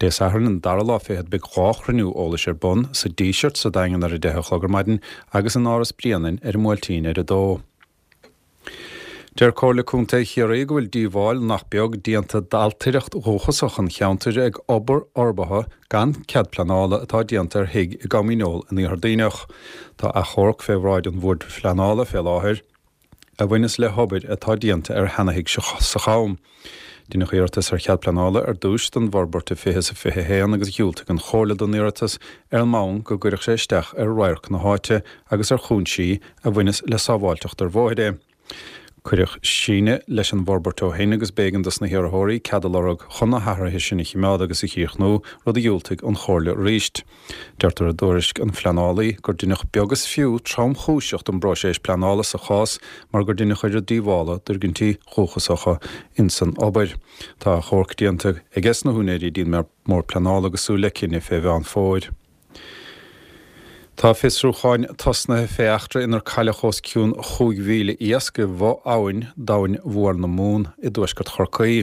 Dé Sathairn, an dara lá fichead, beidh dhá chruinniú eolais ar bun, sa Díseart sa Daingean ar a deich a chlog ar maidin agus in Áras Bréanainn ar an mBuailtín ar a dó. Deir Comhairle Contae Chiarraí go bhfuil díobháil nach beag déanta d'ailtireacht dhúchasach an cheantair ag obair fhorbartha gan cead pleanála atá déanta ar thigh i gCom Dhíneol in Iarthar Duibhneach. Tá achomharc fé bhráid an Bhoird Phleanála fé láthair a bhaineas le hobair atá déanta ar sheana-thigh sa Cham. Deineadh iarratas ar chead pleanála ar dtúis don bhforbairt i fiche is a fiche a haon agus dhiúltaigh an Chomhairle don iarratas ar an mbonn go gcuirfeadh sé isteach ar radharc na háite agus ar chúinsí a bhaineas le sábháilteacht ar bhóithre. Cuireadh síneadh leis an bhforbairt ó shin agus b'éigean dos na hiarrthóirí cead a lorg chun na hathruithe sin a chimeád agus a chríochnú, rud a dhiúltaigh an Chomhairle arís. Deirtear i dtuairisc an phleanálaí gur deineadh beag is fiú tromchúiseach den bpróiseas pleanála sa chás mar gur deineadh oiread díobhála d'fhoirgintí dhúchasacha insan obair. Tá achomharc déanta aiges na húinéirí dtí'n mBord Pleanála agus súil le cinneadh fé Mheán Fómhair. Tá fiosrúcháin tosnaithe fé eachtra inar cailleadh os cionn chúig mhíle iasc i bhfo-abhainn d'Abhainn Mhór na Mumhan i dtuaisceart Chorcaí.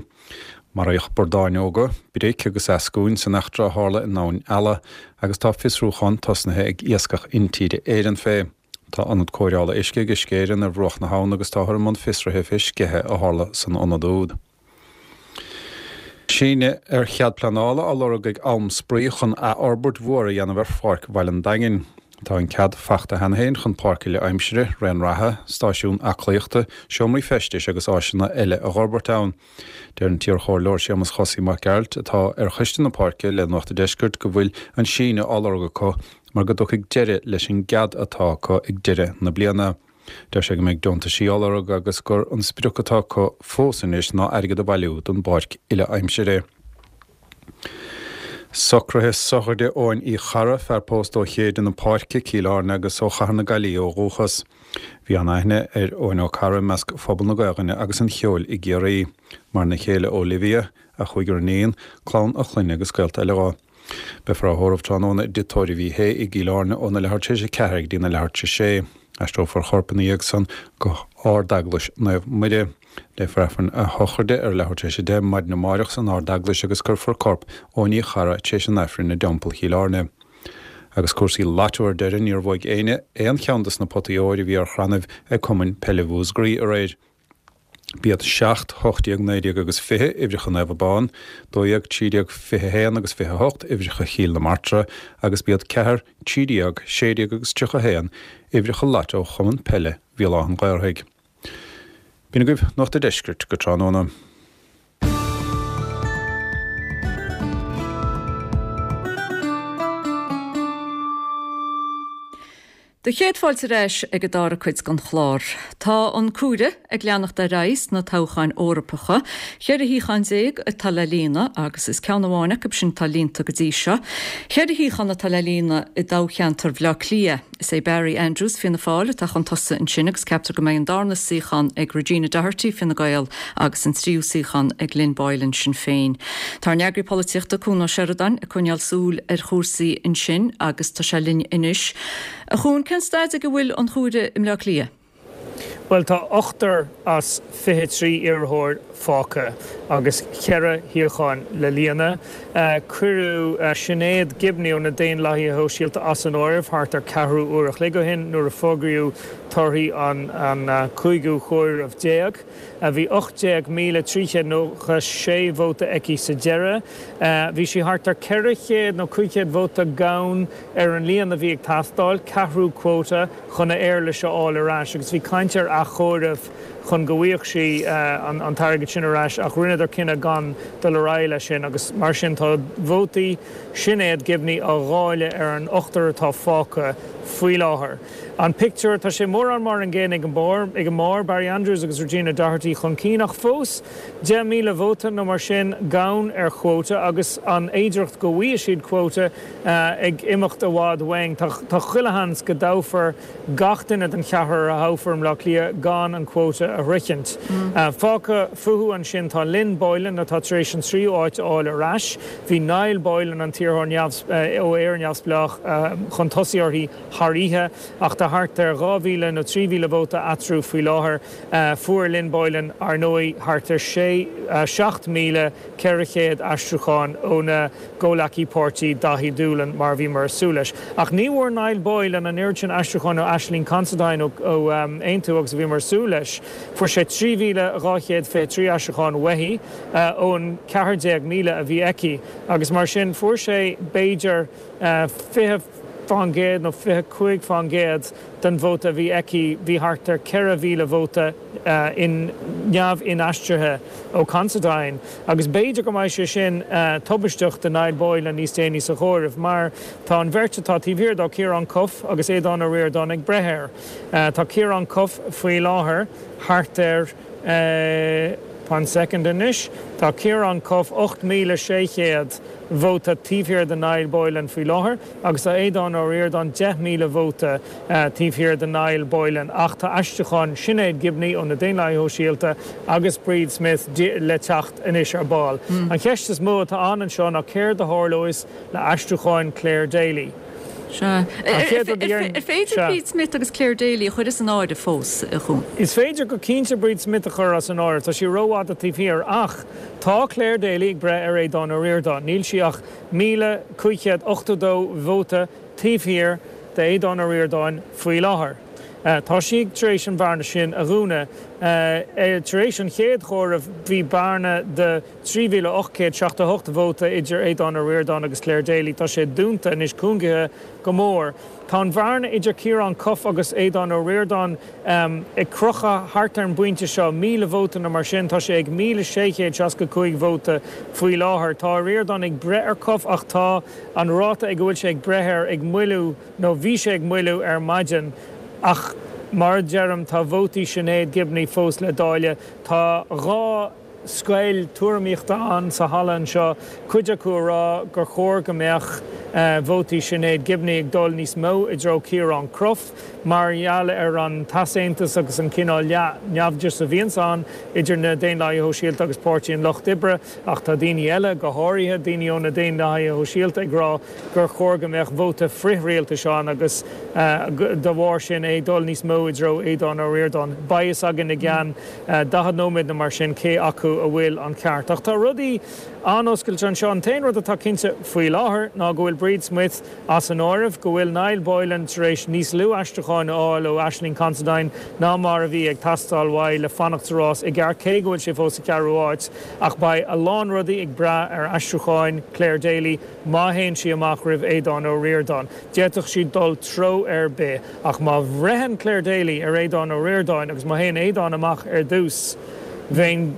Maraíodh bordáin óga, bric agus eascúin san eachtra a tharla in Abhainn Ealla agus tá fiosrúchán tosnaithe ag Iascach Intíre Éireann fé. Tá ionad cóireála uisce ag Uisce Éireann ar bhruach na habhann agus táthar i mbun fiosraithe fé sceitheadh a tharla san ionad úd. Síneadh ar chead pleanála á lorg ag Am Spraoi chun athfhorbairt mhór a dhéanamh ar Pháirc Bhaile an Daingin. Tá an cead fachta cheana féin chun páirc uile-aimsire, raon reatha, stáisiún aclaíochta, seomraí feistis agus áiseanna eile a dh'fhorbairt ann. Deir an t-iarchomhairleoir Séamus Chosaí Mac Gearailt, atá ar choiste na páirce le Nuacht an Deiscirt, go bhfuil an síneadh á lorg acu mar go dtiocfaidh deireadh leis an gcead atá acu ag deireadh na bliana. Deir sé go mbeidh deontaisí á lorg agus gur an sprioc atá acu fós anois ná airgead a bhailiú don bpáirc uile-aimsire. Socruithe sochraide Eoghain Uí Charra, fear pósta ó Chéide na Páirce, Cill Airne agus ó Chathair na Gaillimhe ó dhúchas. Bhí an-aithne ar Eoin Ó Carra i measc phobal na Gaelainne agus an cheoil i gCiarraí. Maireann a chéile Olivia, a chúigear iníon, clann a chlainne agus gaolta eile dho. Beifear á thórramh tráthnóna i dTigh Tórraimh Uí Shé i gCill Airne óna leathuair tar éis a ceathair go dtí na leathuair tar éis a sé. Aistreofar a chorp ina dhiaidh san go hArd-Eaglais Naomh Muire. Léifear Aifreann a shochraide ar leathuair tar éis a deich maidin amáireach san Ard-Eaglais agus cuirfear corp Eoin Uí Charra tar éis an Aifrinn i dTeampall Chill Airne. Agus cúrsaí Lotto ar deireadh, níor bhuaigh éinne aon cheann dos na potaí óir a bhí ar chrannaibh ag Cumann Peile Mhúscraí aréir. B'iad seacht, hocht déag, naoi déag agus fiche uimhreacha Naomh Abán, dó dhéag, trí déag, fiche haon agus fiche hocht uimhreacha Chill na Martra agus b'iad ceathair, trí déag, sé déag agus tríocha haon uimhreacha Lotto Chumann Peile Bhéal Átha an Ghaorthaidh. B'in agaibh Nuacht a' Deiscirt go tráthnóna. Do chéad fáilte ar ais ag an dara cuid den chlár. Tá an cúire ag leanacht ar aghaidh sna toghcháin Eorpacha, Ceithre shuíochán déag atá le líonadh agus is ceann amháin acu sin atá líonta go dtí seo. Ceithre shuíochán atá le líonadh i dtoghcheantar Bhaile Átha Cliath. Is é Barry Andrews Fianna Fáil atá chun tosaigh ansin agus ceaptar go mbeidh an darna suíochán ag Regina Doherty Fine Gael agus an tríú suíochán ag Lynn Boylan Sinn Féin. Tá ár n-eagraí polaitíochta Cuan Ó Seireadáin ag coinneáil súil ar chúrsaí ansin agus tá sé linn anois. A Chuain cén staid ag a bhfuil an chúire i mBleá Cliath? Bhuel tá ochtar as fiche trí iarrthóir fágtha agus ceithre shuíochán le líonadh. Cuireadh Sinéad Gibney ó na Daonlathaithe Shóisialta as an áireamh thart ar ceathrú uair a chloig ó shin nuair a fógraíodh torthaí an cúigiú chomhaireamh déag. Bhí ocht déag míle trí chéad nócha sé vóta aici sa deireadh. Bhí sí thart ar ceithre chéad nó cúig chéad vóta gann ar an líon a bhí ag teastáil, ceathrú quota, chun a éarlais a fháil ar ais agus bhí caint ar athchomhaireamh chun go bhfaigheadh sí an t-airgead sin ar ais ach rinneadar cinneadh gan dul ar aghaidh leis sin agus mar sin tá vótaí Sinéad Gibney á dháileadh ar an ochtar atá fágtha faoi láthair. An pictiúr, tá sé mórán mar an gcéanna ag an mbarr, ag an mbarr, Barry Andrews agus Regina Doherty chun cinn ach fós deich míle vóta nó mar sin gann ar chuóta agus an fhéidearthacht go bhfaighidh siad cuóta ag imeacht i bhfad uainn. Tá chuile sheans go dtoghfar gach duine den cheathrar a thoghfar i mBleá Cliath gan an cuóta a shroichint. Fágtha fúthu ansin tá Lynn Boylan atá tar éis an tríú áit a fháil ar ais. Bhí Niall Boylan, an t-iarrthóir ó Éire Neamhspleách, chun tosaigh uirthi thar oíche ach tá thart ar dhá mhíle nó trí mhíle vóta eatarthu faoi láthair. Fuair Lynn Boylan, ar ndóigh, thart ar sé, seacht míle ceithre chéad aistriúchán óna gcomhleacaí páirtí Daithí Doolan, mar a bhíomar ag súil leis. Ach ní bhfuair Niall Boylan an oiread sin aistriúchán ó Ashling Considine ó Aontú agus a bhíomar ag súil leis. Fuair sé trí mhíle dhá chéad fiche trí aistriúchán uaithi ón ceathair déag míle a bhí aici agus mar sin fuair sé b'fhéidir fiche fán gcéad nó fiche cúig fán gcéad den vóta a bhí aici. Bhí thart ar ceithre mhíle vóta neamh-inaistrithe ó Considine agus b'fhéidir go mbeidh sé sin tubaisteach do Niall Boylan níos déanaí sa chomhaireamh mar tá an bheirt atá taobh thiar dó, Ciarán Cuffe agus Aodhán Ó Ríordáin ag breith air. Tá Ciarán Cuffe faoi láthair thart ar One second anois. Tá Ciarán Cuffe ocht míle sé chéad vóta taobh thiar de Niall Boylan faoi láthair agus tá Aodhán Ó Ríordáin deich míle vóta taobh thiar de Niall Boylan ach tá aistriúcháin Sinéad Gibney ó na Daonlathaithe Shóisialta agus Bríd Smith le teacht anois ar ball. An cheist is mó atá ann anseo ná céard a tharlós le aistriúcháin Clare Daly. Sea. Ar féidir Bríd Smith agus Clare Daly a chur as an áireamh fós, a Chuain? Is féidir go cinnte Bríd Smith a chur as an áireamh, tá sí rófhada taobh thiar, ach tá Clare Daly ag breith ar Aodhán Ó Ríordáin. Níl sí ach míle cúig chéad ochtó dó vóta taobh thiar d'Aodhán Ó Ríordáin faoi láthair. Tá sí tar éis an bhearna sin a dhúnadh. Tar éis an chéad chomhairimh bhí bearna de trí mhíle ocht gcéad seachtó a hocht vóta idir Aodhán Ó Ríordáin agus Clare Daly. Tá sé dúnta anois, cúngaithe go mór. Tá an bhearna idir Ciarán Cuffe agus Aodhán Ó Ríordáin ag crochadh thart ar an bpointe seo, míle vóta nó mar sin. Tá sé ag míle sé chéad seasca cúig vóta faoi láthair. Tá Ó Ríordáin ag breith ar Cuffe ach tá an ráta ag a bhfuil sé ag breith air ag moilliú nó bhí sé ag moilliú ar maidin. Ach mar a deirim, tá vótaí Sinéad Gibney fós le dáileadh. Tá dhá scoil tuairimíochta ann sa halla anseo, cuid acu ag rá gur chóir go mbeadh vótaí Sinéad Gibney ag dul níos mó i dtreo Ciarán Cuffe mar gheall ar an t-easaontas agus an cineál leath-naimhdeas a bhíonns ann idir na Daonlathaithe Shóisialta agus Páirtí an Lucht Oibre ach tá daoine eile, go háirithe daoine ó na Daonlathaithe Shóisialta ag rá gur chóir go mbeadh vóta frith-rialtais ann agus dá bharr sin é ag dul níos mó i dtreo Aodhán Ó Ríordáin. Beidh fhios againn i gceann daichead nóiméad nó mar sin cé acu a bhfuil an ceart. Ach tá rudaí an-oscailte anseo. An t-aon rud atá cinnte faoi láthair ná go bhfuil Bríd Smith as an áireamh, go bhfuil Niall Boylan tar éis níos lú aistriúcháin a fháil ó Ashling Considine ná mar a bhí ag teastáil uaidh le fanacht sa rás i gceart, cé go bhfuil sé fós sa cheathrú háit. Ach beidh a lán rudaí ag brath ar aistriúcháin Clare Daly má théann sí amach roimh Aodhán Ó Ríordáin. D'fhéadfadh sí dul treo ar bith. Ach má bhreitheann Clare Daly ar Aodhán Ó Ríordáin agus má théann Aodhán amach ar dtús, bheinn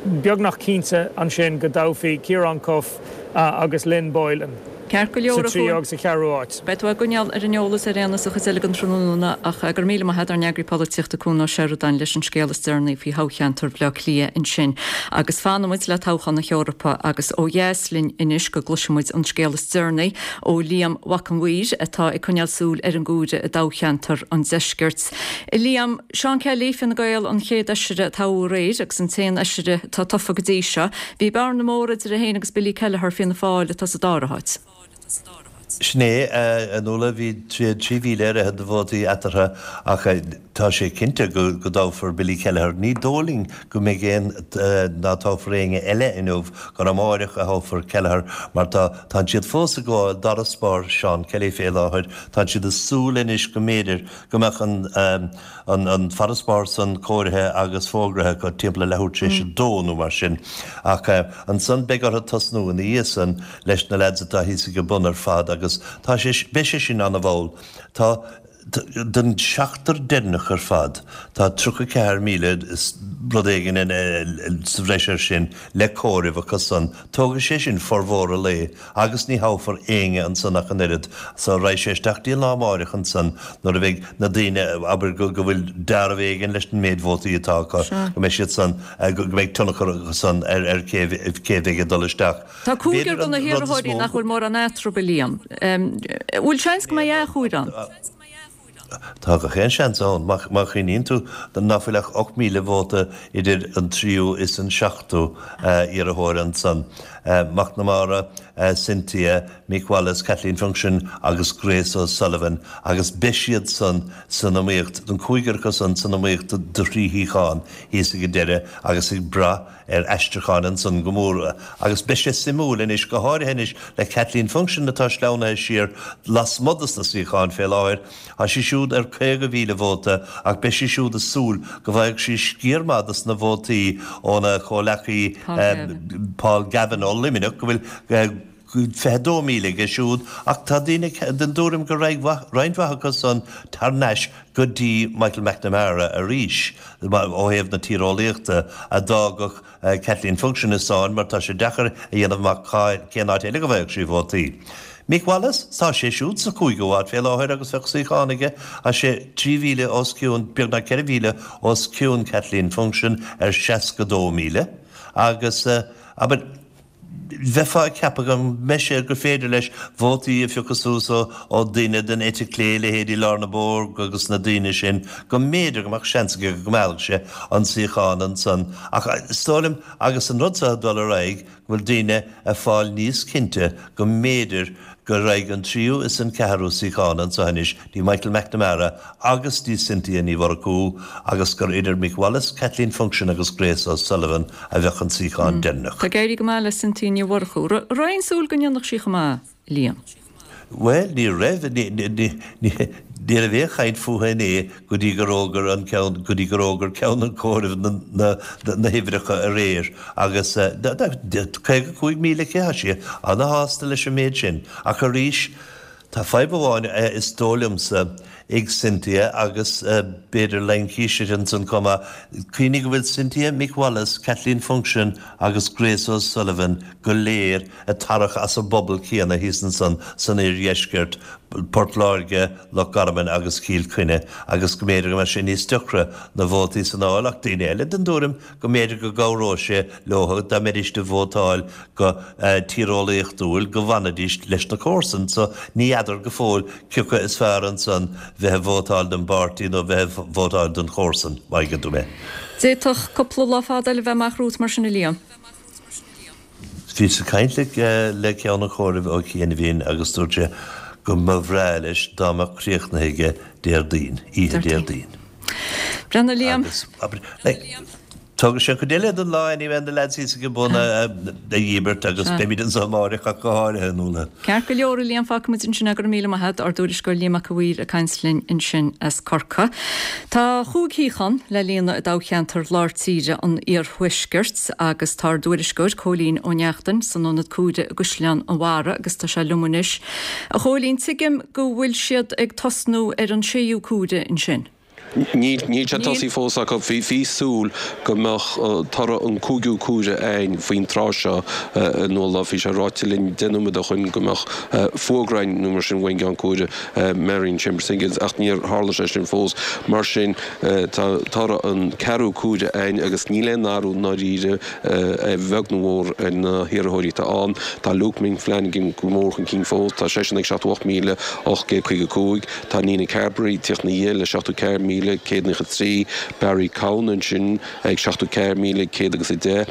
beagnach cinnte ansin go dtoghfaí Ciarán Cuffe agus Lynn Boylan. Ceart go leor sa tríú agus sa cheathrú áit. Beidh tú á gcoinneáil ar an eolas ar aon nós sa chuid eile den tráthnóna ach go raibh míle maith agat ár n-eagraí polaitíochta Cuan Ó Seireadáin leis an scéal is deireanaí faoi thoghcheantar Bhaile Átha Cliath ansin. Agus fanfaidh muid le toghchán na hEorpa agus ó dheas linn anois go gcloisfidh muid an scéal is deireanaí ó Liam Mhac an Mhaoir atá ag coinneáil súil ar an gcomhaireamh i dtoghcheantar an Deiscirt. Liam, Seán Kelly, Fine Gael, an chéad fheisire a toghadh aréir agus an t-aon fheisire atá tofa go dtí seo. Bhí bearna mór idir é féin agus Billy Kelleher, Fianna Fáil, atá sa dara háit. Sin é, a Nuala, bhí trí mhíle ar fhichead de vótaí eatarthu ach tá sé cinnte go dtoghfar Billy Kelleher. Ní dóigh linn go mbeidh aon, ná toghfar éinne eile inniu, gur amáireach a thoghfar Kelleher mar tá, tánn siad fós ag gabháil d'fharasbarr Seán Kelly fé láthair. Tánn siad ag súil anois go mb'fhéidir go mbeadh an, an farasbarr san comhairthe agus fógraithe acu timpeall a leathuair tar éis a dó nó mar sin. Ach ansan beidh orthu tosnú ina dhiaidh san leis na leaids atá thíos ag an bun ar fad agus tá sé, beidh sé sin ana-mhall. Tá, den seachtar deireanach ar fad, tá tríocha ceathair míle is rud éigin sa bhreis air sin le comhaireamh acu san. Tógfaidh sé sin formhór an lae agus ní thoghfar éinne ansan ach an oiread. So raghaidh sé isteach dtí an lá amáireach ansan nuair a bheidh na daoine, abair, go bhfuil deáramh éigin leis an méid vótaí atá acu, go mbeidh siad san, go mbeidh tionchar acu san ar ar cé cé bheidh ag dul isteach. Tá cúigear de na hiarrthóirí nach bhfuil mórán eatarthu, a Liam. Bhfuil seans go mbeidh athchomhaireamh ann? Tá gach aon seans ann, má chuimhníonn tú ná fuil ach ocht míle vóta idir an tríú is an seachtú iarrthóir ansan, McNamara, Cynthia, Mick Wallace, Kathleen Funchion agus Grace O'Sullivan, agus beidh siad san san iomaíocht, an cúigear acu san san iomaíocht do thrí shuíochán thíos ag an deireadh agus ag brath ar aistriúcháin ansan go mór. Agus beidh sé suimiúil anois, go háirithe anois le Kathleen Funchion atá sleamhnaithe siar lasmuigh dos na suíocháin fé láthair. Tá sí siúd ar caoga mhíle vóta ach beidh sí siúd ag súil go bhfaigheadh sí sciar maith dos na vótaí óna comhleacaí Paul Gavin ó Luimneach go bhfuil fiche dó míle aige siúd ach tá daoine den dtuairim go raghaidh roinnt mhaith acu san thar n-ais go dtí Michael McNamara arís ó thaobh na tíreolaíochta a d'fhágfadh Kathleen Funchion i sáinn mar tá sé deacair a dhéanamh amach cén áit eile go bhfaigheadh sí vótaí. Mick Wallace, tá sé siúd sa chúigiú háit fé láthair agus bheadh suíochán aige, tá sé trí mhíle os cionn, beagnach ceithre mhíle os cionn Kathleen Funchion ar seasca dó míle agus, abair, bheifeá ag ceapadh go mbeidh sé, gur féidir leis vótaí a phiocadh suas ó daoine den eite clé, leithéidí Lorna Bogue agus na daoine sin, go mb'fhéidir go mbeadh seans aige go meallfadh sé an suíochán ansan. Ach is dóigh liom, agus an rud seo ag dul ar aghaidh, go bhfuil daoine ag fáil níos cinnte go mb'fhéidir go raghaidh an tríú is an ceathrú suíochán anseo anois dtí Michael McNamara agus dtí Cynthia Ní Mhurchú agus gur idir Mick Wallace, Kathleen Funchion agus Grace O'Sullivan a bheadh an suíochán deireanach. Tá ag éirí go maith le Cynthia Ní Mhurchú. Raibh aon súil go ndéanfadh sí chomh maith, Liam? Bhuel, ní raibh, ní raibh aon chaint fúithi inné go dtí gur fhógair an ceann, go dtí gur fhógair ceann an chomhairimh na, na huimhreacha aréir agus caoga cúig míle aici, tá sí ana-shásta leis an méid sin. Ach arís, tá fadhb amháin is dóigh liomsa ag Cynthia agus b'fhéidir laincis ansan chomh maith. Cuimhnigh go bhfuil Cynthia, Mick Wallace, Kathleen Funchion agus Grace O'Sullivan go léir ag tarrac as an bpobal céanna thíos ansan san oirdheisceart, Port Láirge, Loch Garman agus Cill Chainnigh, agus go mb'fhéidir go mbeadh sé níos deacra na vótaí san a fháil ach daoine eile den dtuairim go mb'fhéidir go gcabhródh sé leo dá mbeidís ag vótáil go tíreolaíochtúil go bhfanfaidís leis na comharsain so ní fheadar go fóill cioca is fearr ansan bheith ag vótáil don bpáirtí nó bheith ag vótáil don chomharsan, má thuigeann tú mé. D'fhéadfadh cúpla lá fada eile bheith amach romhat mar sin a Liam. Bhíos ag caint le ceann an chomhairimh ó chianaibhín agus dúirt sé go mba bhreá leis dá mbeadh críochnaithe aige Déardaoin, oíche Déardaoin. Breathnaigh Liam. Agus, abair, like, tógfaidh sé an chuid eile den lá anyway na lads thíos ag an bun a dhíbirt agus beimid anseo amáireach ach go háirithe, a Nuala. Ceart go leor, a Liam, fágfaidh muid ansin é, go raibh míle maith agat, ár dtuairisceoir Liam Mac a' Mhaoir ag caint linn ansin as Corcaigh. Tá chúig shuíochán le líonadh i dtoghcheantar Lár Tíre an Iarthuaiscirt agus tá ár dtuairisceoir Cóilín Ó Neachtain san ionad comhairimh i gCaisleán an Bharraigh agus tá sé liom anois. A Chóilín, tuigim go bhfuil siad ag tosnú ar an séú comhaireamh ansin. Níl sé tosaithe fós acu. Bhí súil go mbeadh toradh an cúigiú cuaire againn faoin tráth seo a Nuala. Bhí sé ráite linn deich nóiméad ó shoin go mbeadh fógra againn nó mar sin ón gCeann Comhairle, Marion Chambers Higgins, ach níor tharla sé sin fós. Mar sin, tá toradh an ceathrú cuaire againn agus níl aon athrú ndáiríre, a bheag nó a mhór, ar na hiarrthóirí atá ann. Tá Luke Ming Flanagan go mór chun cinn fós, tá seisean ag seachtó ocht míle ocht gcéad caoga cúig. Tá Nina Carberry ag tíocht ina dhiaidh le seachtó ceathair míle céad nócha trí, Barry Cowen ansin ag seachtó ceathair míle céad agus a deich,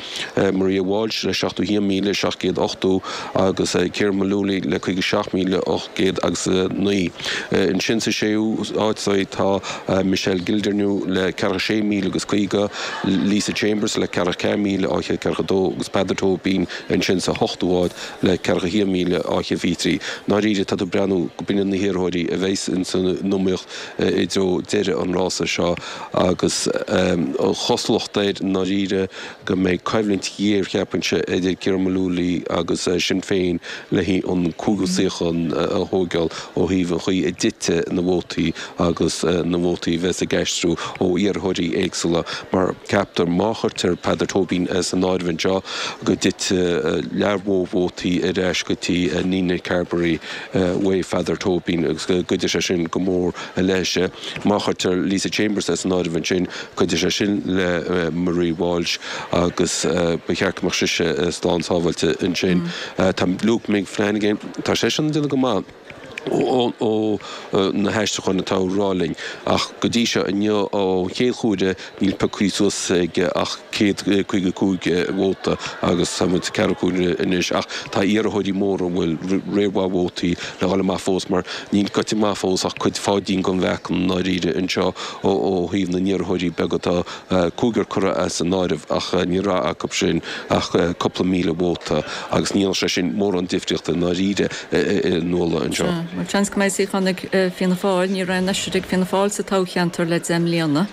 Maria Walsh le seachtó haon míle seacht gcéad ochtó agus Ciarán Mullooly le caoga seacht míle ocht gcéad agus a naoi. Ansin sa séú háit tá Michelle Gildernew le ceathracha sé míle agus caoga, Lisa Chambers le ceathracha ceathair míle dhá chéad ceathracha dó agus Peadar Tóibín ansin sa hochtú háit le ceathracha haon míle dhá chéad fiche trí. Ndáiríre tá tú ag breathnú go b'in iad na hiarrthóirí a bheas insan iomaíocht i dtreo deireadh an rása seo agus an chosúlacht air i ndáiríre go mbeidh coimhlint ghéar, cheapfainnse, idir Ciarán Mullooly agus Sinn Féin le haghaidh an cúigiú suíochán a thóigeáil ó thaobh an chaoi a dtitfidh na vótaí agus na vótaí a bheas ag aistriú ó iarrthóirí éagsúla mar ceaptar má chuirtear Peadar Tóibín san áireamh anseo go dtitfidh lear mhór vótaí ar ais go dtí Nina Carberry uaidh Pheadar Tóibín agus go gcuideoidh sé sin go mór léise. Má chuirtear Lisa Chambers as an áireamh ansin, cuideoidh sé sin le Marie Walsh agus ba cheart go mbeadh sise slán sábháilte ansin. Tá Luke Ming Flanagan, tá seisean ag déanamh go maith ó na haistriúcháin atá á rá linn ach go dtí seo inniu ón chéad chuaire níl pioctha suas aige ach céad caoga cúig vóta agus tá muid sa ceathrú cuaire anois ach tá iarrthóirí móra a bhfuil riar mhaith vótaí le dhul amach fós mar níl goite amach fós ach cuid pháidín den mheáchan i ndáiríre anseo ó thaobh na n-iarrthóirí beaga tá cúigear curtha as an áireamh ach ní raibh acu sin ach cúpla míle vóta agus ní dhéanfadh sé sin mórán difríochta i ndáiríre a Nuala anseo. Bhuel, seans go mbeidh suíochán ag Fianna Fáil, ní raibh aon fheisire ag Fianna Fáil sa toghcheantar le deich mbliana.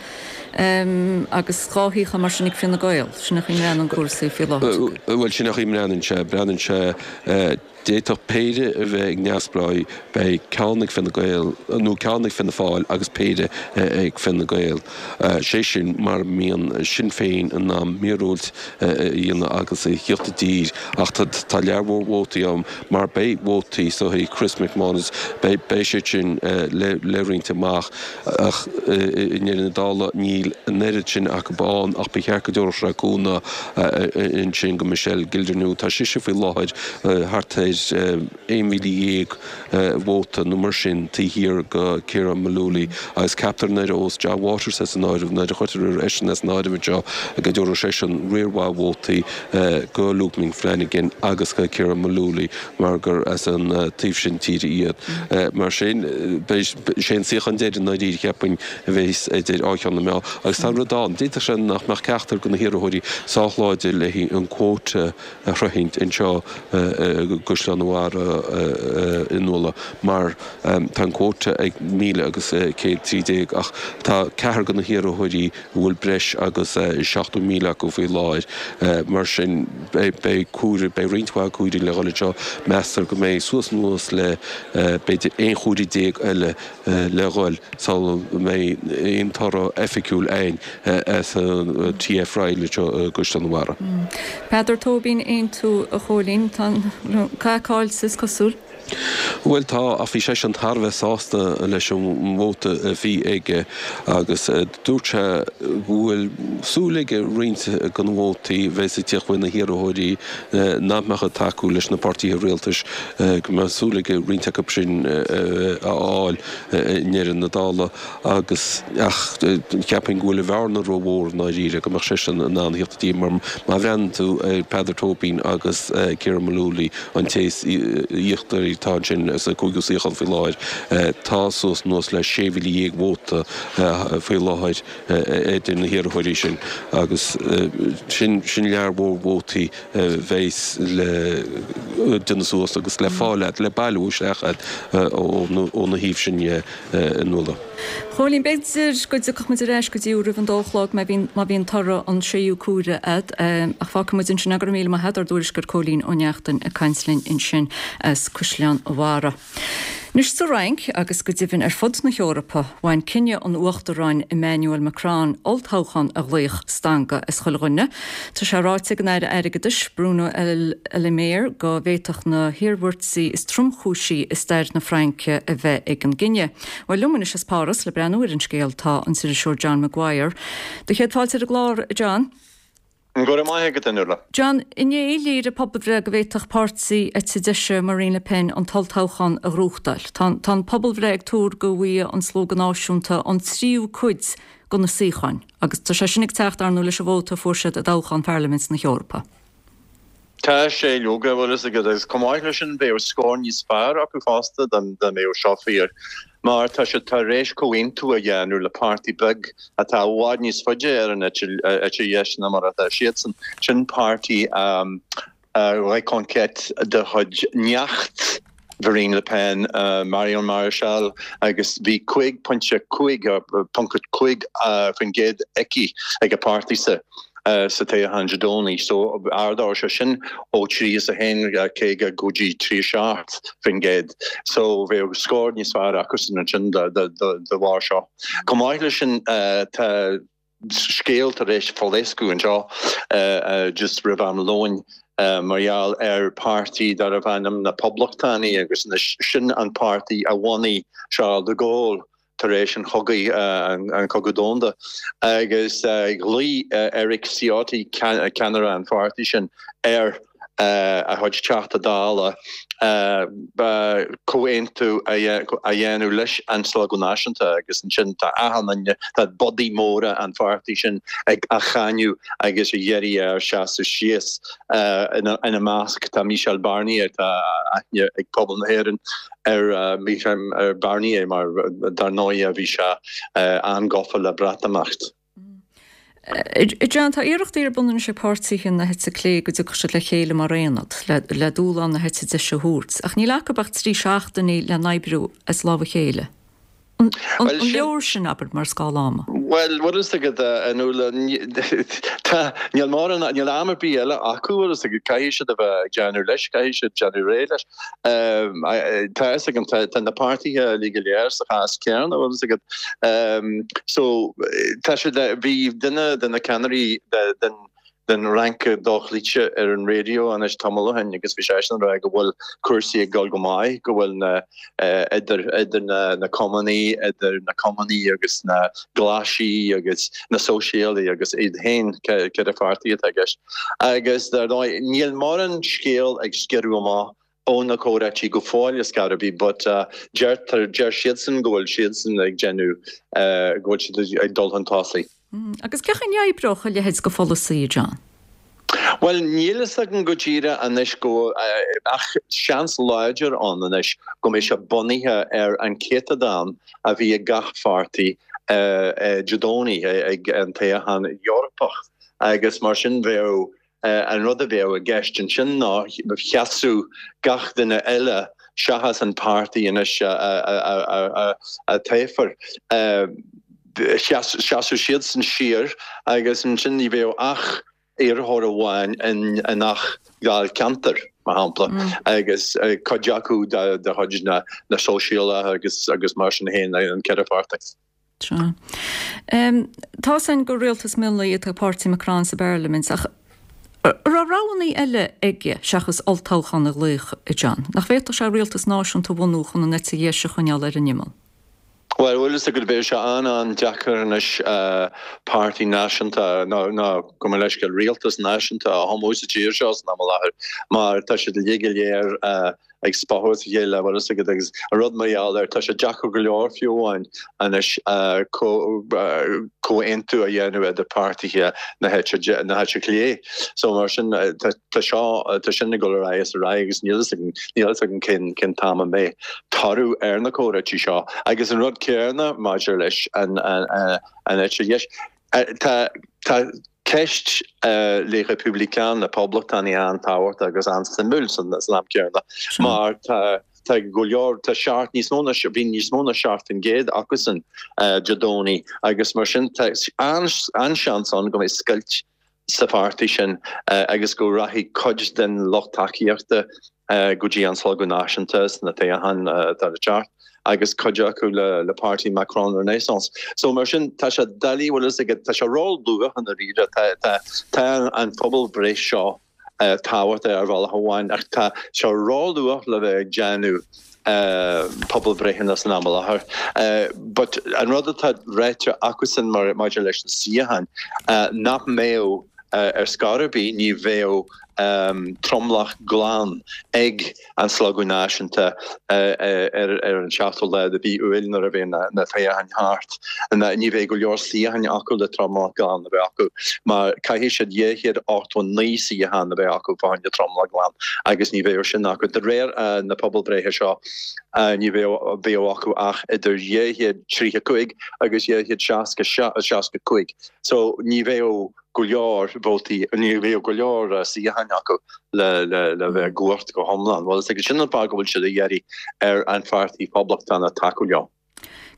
Agus dhá shuíochán mar sin ag Fine Gael. Sin an chaoi a mbreathnaíonn cúrsaí faoi láthair. Bhuel, sin an chaoi a mbreathnaíonn sé. Breathnaíonn sé, d'fhéadfadh péire a bheith ag neamhspleáigh, beidh ceann ag Fine Gael, nó ceann ag Fianna Fáil agus péire ag Fine Gael. Sé sin mura mbíonn Sinn Féin in ann míorúilt a dhéanamh agus a thíocht i dtír. Ach tá lear mhór vótaí ann mar beidh vótaí so Chris McManus, beidh siad sin le roinnt amach. Ach i ndeireadh na dála níl an oiread sin acu ann ach ba cheart go dtabharfadh sé cúnamh ansin go Michelle Gildernew. Tá sise faoi láthair thart ar aon mhíle dhéag vóta nó mar sin taobh thiar go Ciarán Mullooly agus ceaptar nuair a fhios John Waters as an áireamh, nuair a chuirtear eisean as an áireamh anseo go dtabharfadh seisean riar mhaith vótaí go Luke Ming Flanagan agus go Ciarán Mullooly mar gur as an taobh sin tíre iad. Mar sin, beidh sé an suíochán deiridh i ndáiríre, cheapfainn, a bheas idir dhá cheann na meá. Agus tá rud ann, d'fhéadfadh sé nach mbeadh ceachtar de na hiarrthóirí sách láidir le haghaidh an quota a shroichint anseo i gCaisleán an Bharraigh a Nuala mar tá an quota ag míle agus céad trí déag ach tá ceathrar de na hiarrthóirí a bhfuil breis agus seachtó míle acu faoi láthair. Mar sin beidh cuaire, beidh roinnt mhaith cuairí le dhul anseo. Meastar go mbeidh suas anuas le b'fhéidir aon chuaire déag eile le dhul sula mbeidh aon toradh oifigiúil againn as an TF Ryle anseo i gCaisleán an Bharraigh. Peadar Tóibín, Aontú, a Chóilín, tá an cath caillte is cosúil. Bhuel tá, ach bhí seisean thar a bheith sásta leis an vóta a bhí aige agus dúirt sé go bhfuil súil aige roinnt de na vótaí a bheas ag tíocht uaidh na hiarrthóirí nach mbeadh ag tacú leis na páirtithe rialtais, go mbeadh súil aige roinnt acu sin a fháil i ndeireadh na dála agus ach cheapfainn go bhfuil an bhearna rómhór i ndáiríre go mbeadh seisean in ann a thíocht i dtír mar má bhreathnaíonn tú ar Peadar Tóibín agus Ciarán Mullooly an té is íochtaraí atá ansin sa cúigiú suíochán faoi láthair. Tá suas anuas le sé mhíle dhéag vóta faoi láthair idir na hiarrthóirí sin agus sin sin lear mhór vótaí a bheas le déanamh suas agus le fáil agat, le bailiú isteach agat óna thaobh sin dhe a Nuala. Chóilín, b'fhéidir go dtiocfadh muid ar ais go dtí roimh an dó a chlog má bhíonn má bhíonn toradh an séú cuaire a'd. Ach fágfaidh muid ansin é. Go raibh míle maith a'd, ár dtuairisceoir Cóilín Ó Neachtain ag caint linn ansin as Caisleán an Bharraigh. Anois sa Fhrainc, agus go deimhin ar fud na hEorpa, bhain cinneadh an Uachtaráin Emmanuel Macron olltoghchán a ghlaoch stangadh as chuile dhuine. Tá sé ráite ag an Aire Airgeadais, Bruno Le Maire, go bhféadfadh na hiarmhairtí is tromchúisí i stair na Fraince a bheith ag an gcinneadh. Bhuel, liom anois as Páras le breathnú ar an scéal tá an t-iriseoir John Maguire. Do chéad fáilte ar an gclár, a John. Go raibh maith agat, a Nuala. John, inné léirigh pobalbhreith go bhféadfadh páirtí eite deise Marine Le Pen an t-olltoghchán a ghnóthachtáil. Tá tá an pobalbhreith ag tuar go bhfaighidh an Slógadh Náisiúnta an tríú cuid de na suíocháin, agus tá sé sin ag teacht, ar ndóigh, leis an vóta a fuair siad i dtoghchán Pharlaimint na hEorpa. Tá sé leoga, bhfuil fhios agat, agus chomh maith leis sin bheadh scór níos fearr acu fosta dá mbeadh seo fíor, mar tá siad tar éis comhaontú a dhéanamh le páirtí beag atá i bhfad níos faide ar an eite dheis ná mar atá siadsan, sin páirtí Reconquête de chuid neacht Mharine Le Pen, Marion Maréchal, agus bhí cúig pointe cúig, ponc cúig faoin gcéad aici ag a páirtí-sa sa toghchán Dé Domhnaigh. So ardóidh sé sin ó trí is a haon caoga go dtí trí a seacht faoin gcéad. So bheadh scór níos fearr acusan ansin de bharr seo. Chomh maith leis sin tá scéal tar éis phléascadh anseo just roimh am lóin mar gheall ar páirtí darbh ainm na Poblachtánaigh agus anois sin an páirtí a bhunaigh Charles de Gaulle tar éis an chogaidh, an Cogadh Domhanda, agus ghlaoigh Eric Ciotti, ceannaire an pháirtí sin, ar a chuid Teachta Dála comhaontú a dhéanamh leis an Slógadh Náisiúnta agus ansin tá achan duine, tá bodaí móra an pháirtí sin ag á cháineadh agus ag iarraidh air seasamh síos. Ina measc tá Michel Barnier, tá aithne ag pobal na hÉireann ar Michel Barnier mar dar ndóigh bhí sé an-ghafa le Breatimeacht. John, tá iarrachtaí ar bun anois ag páirtithe na heite clé go dtiocfadh siad le chéile mar aonad le dúshlán na heite deise a thabhairt, ach níl acu ach trí seachtainí le n-oibriú as lámh a chéile. An leor sin, abair, mar scála ama? Bhuel, bhfuil fhios agat, a Nuala, tá, níl mórán, níl am ar bith eile acu, bhfuil fhios agat, caithfidh siad a bheith ag déanamh leis, caithfidh siad déanamh réidh leis. Tá fhios agam, tá, tá na páirtithe uilig go léir sa chás céanna, bhfuil fhios agat. So, tá siad, bhí duine de na ceannairí den, den Fhrainc dochloíte ar an raidió anois tamall ó shin agus bhí seisean ag rá go bhfuil cúrsaí ag dul go maith, go bhfuil na, idir, idir na, na Cumannaigh, idir na Cumannaigh agus na Glaisigh agus na Sóisialaigh agus iad féin, ceithre pháirtí atá i gceist. Agus dar ndóigh, níl mórán scéal ag sciorradh amach ó na comhráití go fóill ar scor ar bith but deirtear, deir siadsan go bhfuil siadsan ag déanamh, go bhfuil siad ag dul chun tosaigh. Agus cén chaoi a n-oibreodh a leithéid de pholasaí, a John? Bhuel, níl fhios agam go díreach anois go, ach seans láidir ann anois go mbeidh sé bunaithe ar an céatadán a bhí ag gach pháirtí Dé Domhnaigh ag an toghchán Eorpach agus mar sin bheadh An rud a bheadh i gceist ansin ná sheasfadh gach duine eile seachas an páirtí anois a toghfar, sheasfadh siadsan siar agus ansin ní bheadh ach iarrthóir amháin i ngach dáilcheantar, mar shampla, agus cuid acu de chuid na Sóisialaithe agus mar sin féin, an ceithre pháirtí. Sea. Tá 'fhios a'inn gur rialtas mionlaigh atá ag páirtí Macron sa bparlaimint, ach an raibh roghanna eile aige seachas olltoghchán a ghlaoch, a John? Nach bhféadfadh sé rialtas náisiúnta a bhunú chun an eite dheis a choinneáil ar an imeall? Bhuel, bhfuil fhios agat, beidh sé an-an-deacair anois páirtí náisiúnta, nó gabh mo leithscéal, rialtas náisiúnta a chumadh sa tír seo san am i láthair, mar tá siad uilig go léir ag spochadh as a chéile, bhfuil fhios agat, agus an rud mar gheall air, tá sé deacair go leor fiú amháin anois comhaontú a dhéanamh idir páirtithe na heite na heite clé. So mar sin tá seo, tá sin ag dul ar aghaidh is ar aghaidh agus níl fhios agam, níl fhios agam cén cén t-am a mbeidh toradh ar na comhráití seo. Agus an rud céanna maidir leis an an eite dheis. Tá tá ceist Les Républicains, na Poblachtánaigh an-tábhachtach agus an-suimiúil san am céanna mar tá tá go leor, tá seacht, níos mó ná, bhí níos mó ná seacht faoin gcéad acusan Dé Domhnaigh agus mar sin tá an-seans ann go mbeidh scoilt sa pháirtí sin agus go rachaidh cuid den lucht tacaíochta go dtí an Slógadh Náisiúnta sna toghcháin atá le teacht agus cuid acu le le páirtí Macron Renaissance. So mar sin tá sé doiligh bhfuil fhios agat tá sé ró-luath i ndáiríre tá tá tá an phobalbhreith seo tábhachtach ar bhealach amháin ach tá sé ró-luath le bheith ag déanamh pobalbhreitheanna san am i láthair. But an rud atá ráite acusan mar maidir leis na suíocháin nach mbeadh ar scor ar bith, ní bheadh tromlach glan ag an Slógadh Náisiúnta ar an seachtú lá de mhí Iúil nuair a bheidh na toghcháin thart. Ní bheidh go leor suíocháin acu le tromlach glan a bheith acu mar caithfidh siad dhá chéad ochtó naoi suíochán a bheith acu fá choinne tromlach glan agus ní bheadh sin acu. De réir na pobalbhreithe seo ní bheadh bheadh acu ach idir dhá chéad tríocha cúig agus dhá chéad seasca seasca cúig. So ní bheadh go leor vótaí, ní bheadh go leor suíocháin acu le le bheith i gcumhacht go hiomlán. Bhuel, is sin an fáth go bhfuil siad ag iarraidh ar an Pháirtí Poblachtánach tacú leo.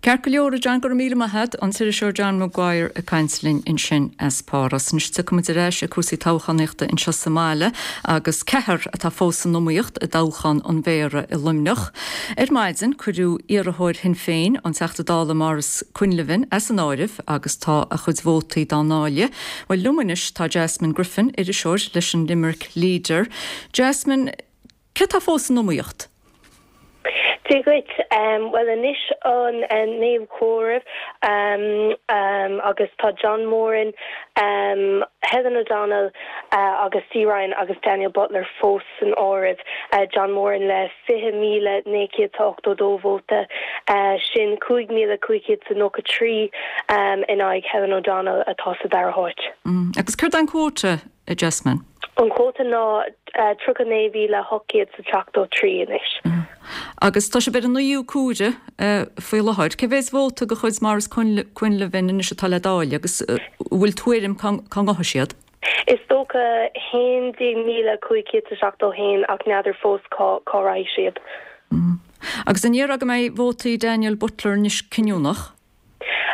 Ceart go leor, a John, go raibh míle maith agat, an t-iriseoir John Maguire ag caint linn ansin as Páras. Anois tiocfaimid ar ais ag cúrsaí toghchánaíochta anseo sa mbaile agus ceathrar atá fós san iomaíocht i dtoghchán an Mhéara i Luimneach. Ar maidin cuireadh iarrthóir Shinn Féin, an Teachta Dála Maurice Quinlivan, as an áireamh agus tá a chuid vótaí dá ndáileadh. Bhuel liom anois tá Jasmine Griffin, iriseoir leis an Limerick Leader. Jasmine, cé tá fós san iomaíocht? Dia dhuit. Bhuel anois an naoú comhaireamh agus tá John Moran, Helen O'Donnell agus Dee Ryan agus Daniel Butler fós san áireamh. John Moran le fiche míle naoi chéad is ochtó dó vóta, sin cúig míle cúig chéad is nócha trí in aghaidh Helen O'Donnell atá sa dara háit. Agus céard é an cuóta, a Jasmine? An cuóta ná tríocha naoi mhíle ocht gcéad is seachtó trí anois. Agus tá sibh ar an naoú cuaire faoi láthair. Cé mhéad vóta de chuid Maurice Quinlivan anois atá le dáileadh agus an bhfuil tuairim cá ngabhfaidh siad? Is dócha haon déag míle cúig chéad is seachtó haon ach n'fheadar fós cá cá raghaidh siad. Agus an ndéarfá go mbeidh vótaí Daniel Butler anois cinniúnach?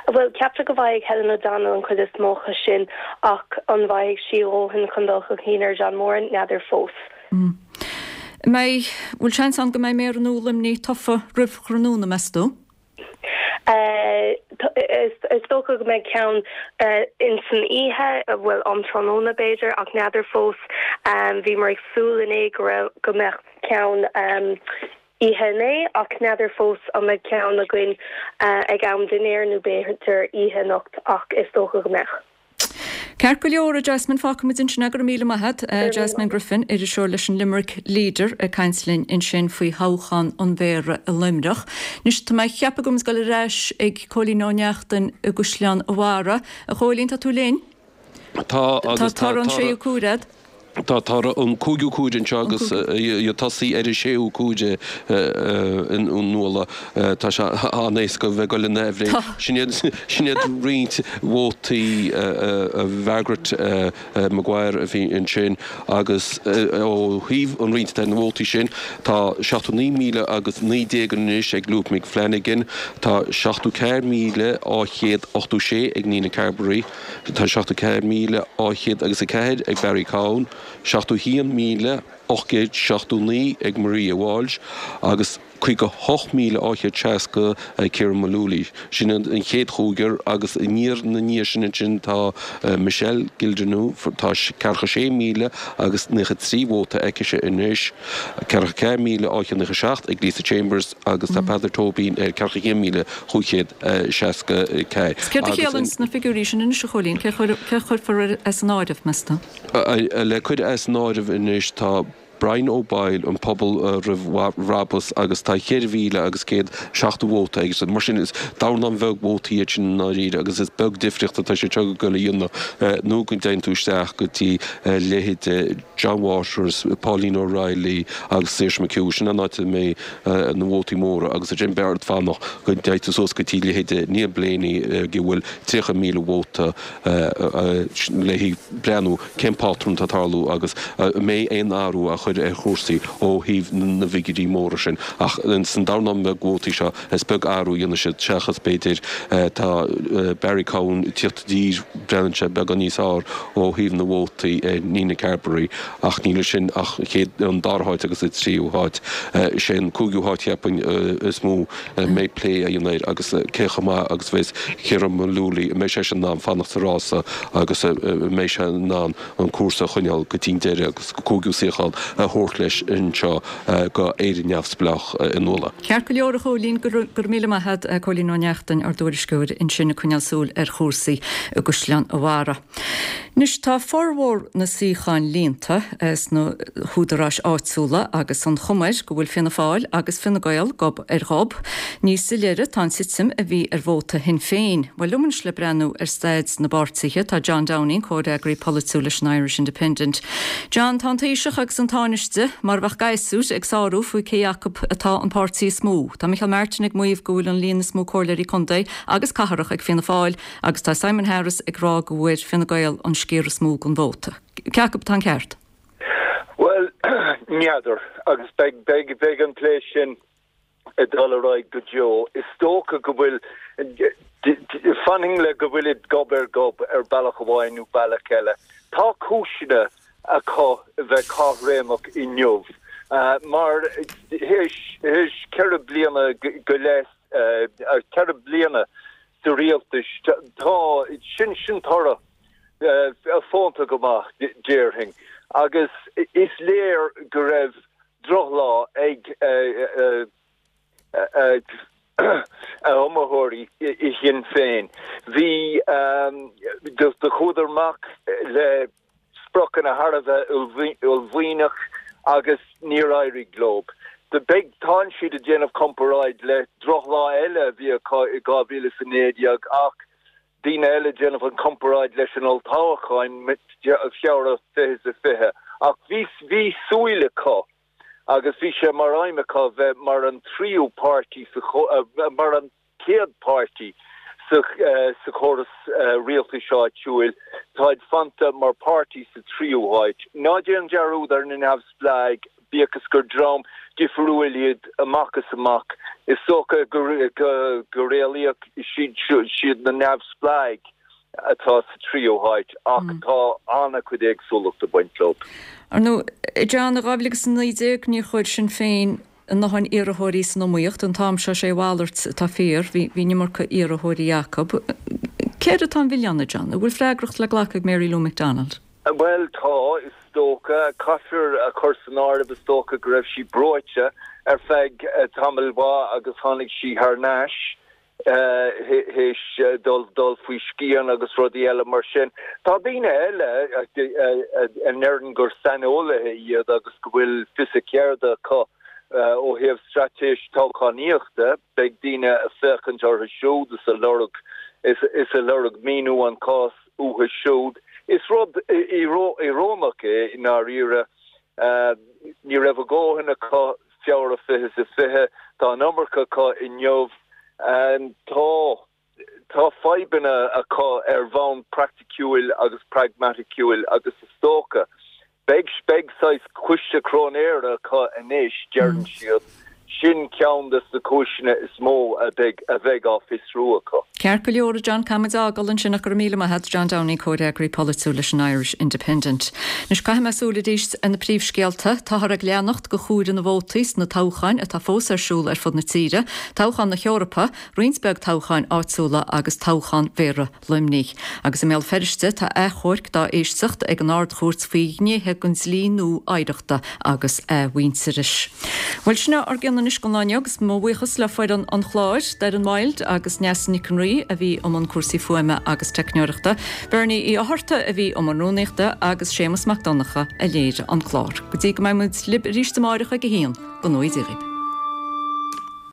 Bhuel, ceaptar go bhfaighidh Helen O'Donnell an chuid is mó acu sin ach an bhfaighidh sí a dhóthain chun dul chun cinn ar John Moran, n'fheadar fós. An mbeidh, bhfuil seans ann go mbeidh Méara nua Luimnigh tofa roimh thráthnóna, meas tú? Is dócha go mbeidh ceann ins an oíche, bhuel, um tráthnóna b'fhéidir, ach n'fheadar fós. Bhíomar ag súil inné go raibh, go mbeadh ceann oíche inné ach n'fheadar fós an mbeidh ceann againn ag am dinnéir nó b'fhéidir oíche anocht ach is dócha go mbeidh. Ceart go leor, a Jasmine, fágfaimid ansin é, go raibh míle maith agat. Jasmine Griffin, iriseoir leis an Limerick Leader ag caint linn ansin faoi thoghchán an Mhéara i Luimneach. Anois tá mé ag ceapadh go bhfuil muid ag dul ar ais ag Cóilín Ó Neachtain i gCaisleán an Bharraigh. A Chóilín, tá tú linn? Tá agus tá Tá toradh an séú cuaire agat. Tá toradh an cúigiú cuaire anseo agus ag tosaí ar an séú cuaire a Nuala. Tá sé an-éasca bheith ag dul ina aimhréidh. Sin iad sin iad roinnt vótaí Mhargaret Maguire a bhí ansin agus ó thaobh an roinnt de na vótaí sin tá seachtó naoi míle agus naoi déag anois ag Luke McFlanagan, tá seachtó ceathair míle dhá chéad ochtó sé ag Nina Carberry, Tá seachtó ceathair míle dhá chéad agus a ceathair ag Barry Cowen, seachtó haon míle ocht gcéad seachtó naoi ag Maria Walsh agus caoga hocht míle dhá chéad seasca ag Ciaran Mullooly. Sin an chéad chúigear agus aniar na ndiaidh sin ansin tá Michelle Gildernew, tá ceathracha sé míle agus naocha trí vóta aicise anois, ceathracha ceathair míle dhá chéad naocha seacht ag Lisa Chambers agus tá Peadar Tóibín ar ceathracha haon míle chúig chéad seasca ceathair. Céard a Agus chiallaíonn na figiúirí sin anois, a Chóilín? Cé a chuirfear as an áireamh, meas tú? Le cur as an áireamh anois tá Brian O'Boyle, an Pobal Roimh Bhrabús, agus tá cheithre mhíle agus céad seachtó vóta aige. Mar sin is dornán bheag vótaí iad sin i ndáiríre agus is beag difríocht atá siad seo ag dul a dhéanamh nó go dtéann tú isteach go dtí leithéide John Waters, Pauline O'Reilly agus Saoirse McHugh. Sin an áit a mbeidh na vótaí móra agus ansin beidh ort fanacht go dtéann tú suas go dtí leithéide Neil Blaney ag a bhfuil tríocha míle vóta léi breathnú cén pátrún atá ag tarlú agus an mbeidh aon athrú á chur chur ar chúrsaí ó thaobh na bhfigiúirí móra sin. Ach san dornán beag vótaí seo, is beag athrú a dhéanfaidh siad, seachas b'fhéidir tá Barry Cowen ag tíocht i dtír, breathnaíonn sé beagán níos fearr ó thaobh na vótaí ar Nina Carberry ach níl ansin ach an dara háit agus an tríú háit. Is é an cúigiú háit cheapfainn is mó a mbeidh plé á dhéanamh air agus cé chomh maith agus a bheas Ciarán Mullooly, an mbeidh seisean in ann fanacht sa rása agus an mbeidh sé in ann an cúrsa a choinneáil go dtí an deireadh agus an cúigiú suíochán a thabhairt leis anseo go Éire Neamhspleách i Nuala. Ceart go leor a Chóilín, go raibh míle maith agat, Cóilín Ó Neachtain, ár dtuairisceoir ansin ag coinneáil súil ar chúrsaí i gCaisleán a' Bharraigh. Anois tá formhór na suíochán líonta sna húdaráis áitiúla agus an chuma air go bhfuil Fianna Fáil agus Fine Gael gob ar ghob. Níos soiléire tá an titim a bhí ar vóta Shinn Féin. Bhuel liom anois le breathnú ar staid na bpáirtithe tá John Downing, comhfhreagraí polaitiúil leis an Irish Independent. John, tá an Taoiseach agus an Tánaiste mar a bheadh gasúir ag sárú faoi cé acu atá an páirtí is mó. Tá Micheál Martin ag maíomh go bhfuil an líon is mó comhairleoirí contae agus cathrach ag Fianna Fáil agus tá Simon Harris ag rá go bhfuair Fine Gael an sciar is mó den vóta. Cé acu atá an ceart? Bhuel, n'fheadar agus beidh beidh beidh an plé sin ag dul ar aghaidh go deo. Is dócha go bhfuil fanfainn le go bhfuilid gob ar gob ar bealach amháin nó bealach eile. Tá cúiseanna acu a bheith caithréimeach inniu mar théis ceithre bliana go leith, ceithre bliana sa rialtas, tá sin sin toradh fónta go maith déarfainn agus is léir go raibh drochlá ag a iomaitheoirí i Shinn Féin. Bhí do chuadar amach le spriocanna thar a bheith uaillmhianach agus níor éirigh leo. Beidh tánn siad ag déanamh comparáid le drochlá eile a bhí acu i dhá mhíle is a naoi déag ach daoine eile ag déanamh an comparáid leis an olltoghchán Feabhra fiche is a fiche ach bhí bhí súil acu agus bhí sé mar aidhm acu bheith mar an tríú páirtí sa mar an chéad páirtí sa sa chóras rialtais áitiúil. Táid fanta mar páirtí sa tríú háit. Ná déan dearúd ar na neamhspleáigh, bíodh is gur dream difriúil iad amach is amach. Is dócha go go réalaíoch siad siad na neamhspleáigh atá sa tríú háit ach tá an-chuid éagsúlacht ag baint leo. Ar ndóigh, John, i dhá mhíle agus a naoi déag níor chuir Sinn Féin a ndóthain iarrthóirí san iomaíocht. An t-am seo sé a mhalairt atá fíor, bhí an iomarca iarrthóirí acu. Céard atá an milleán, a John? An bhfuil freagracht le glacadh ag Mary Lou McDonald? Bhuel, tá, is dócha. Caithfear a chur san áireamh, is dócha, go raibh sí breoite ar feadh tamaill mhaith agus tháinig sí thar n-ais théis dul dul faoi scian agus rudaí eile mar sin. Tá daoine eile a ndeireann gur saineolaithe iad agus go bhfuil fios a gceirde acu ó thaobh straitéis toghchánaíochta. Beidh daoine ag féachaint orthu siúd is ag lorg is ag lorg míniú an chás uathu siúd. Is rud íorónach é i ndáiríre. Ní raibh a dhóthain acu Feabhra fiche is a fiche. Tá an iomarca acu inniu. Tá tá fadhbanna acu ar bhonn praiticiúil agus pragmaticiúil agus is dócha Beidh beidh saghas coiste cróinéara acu anois, deireann siad. Sin ceann de na cúiseanna is mó a bheidh a bheidh á fiosrú acu. Ceart go leor, a John, caithfimid a fhágáil ansin ach go raibh míle maith agat, John Downing, Comhfhreagraí Polaitiúil leis an Irish Independent. Anois caithfidh mé súil arís ar na príomhscéalta. Táthar ag leanacht de chuaire na vótaí sna toghcháin atá fós ar siúl ar fud na tíre, toghchán na hEorpa, roinnt beag toghcháin áitiúla agus toghchán Mhéara Luimnigh. Agus i mBéal Feirste tá achomharc dá éisteacht ag an Ard-Chúirt faoi ghnéithe den dlí nua oidhreachta agus athmhuintearais. Bhuel, sin é ár gcion anois don lá inniu agus mo bhuíochas le foireann an chláir, Doireann Wilde agus Neasa Nic an Rí a bhí i mbun cúrsaí fuaime agus teicneoireachta, Bernie Uí Fhátharta a bhí i mbun rúnaíochta agus Séamus Mac Donncha a léirigh an clár. Go dtí go mbeidh muid libh arís amáireach ag a haon, go ngnóthaí Dia dhaoibh.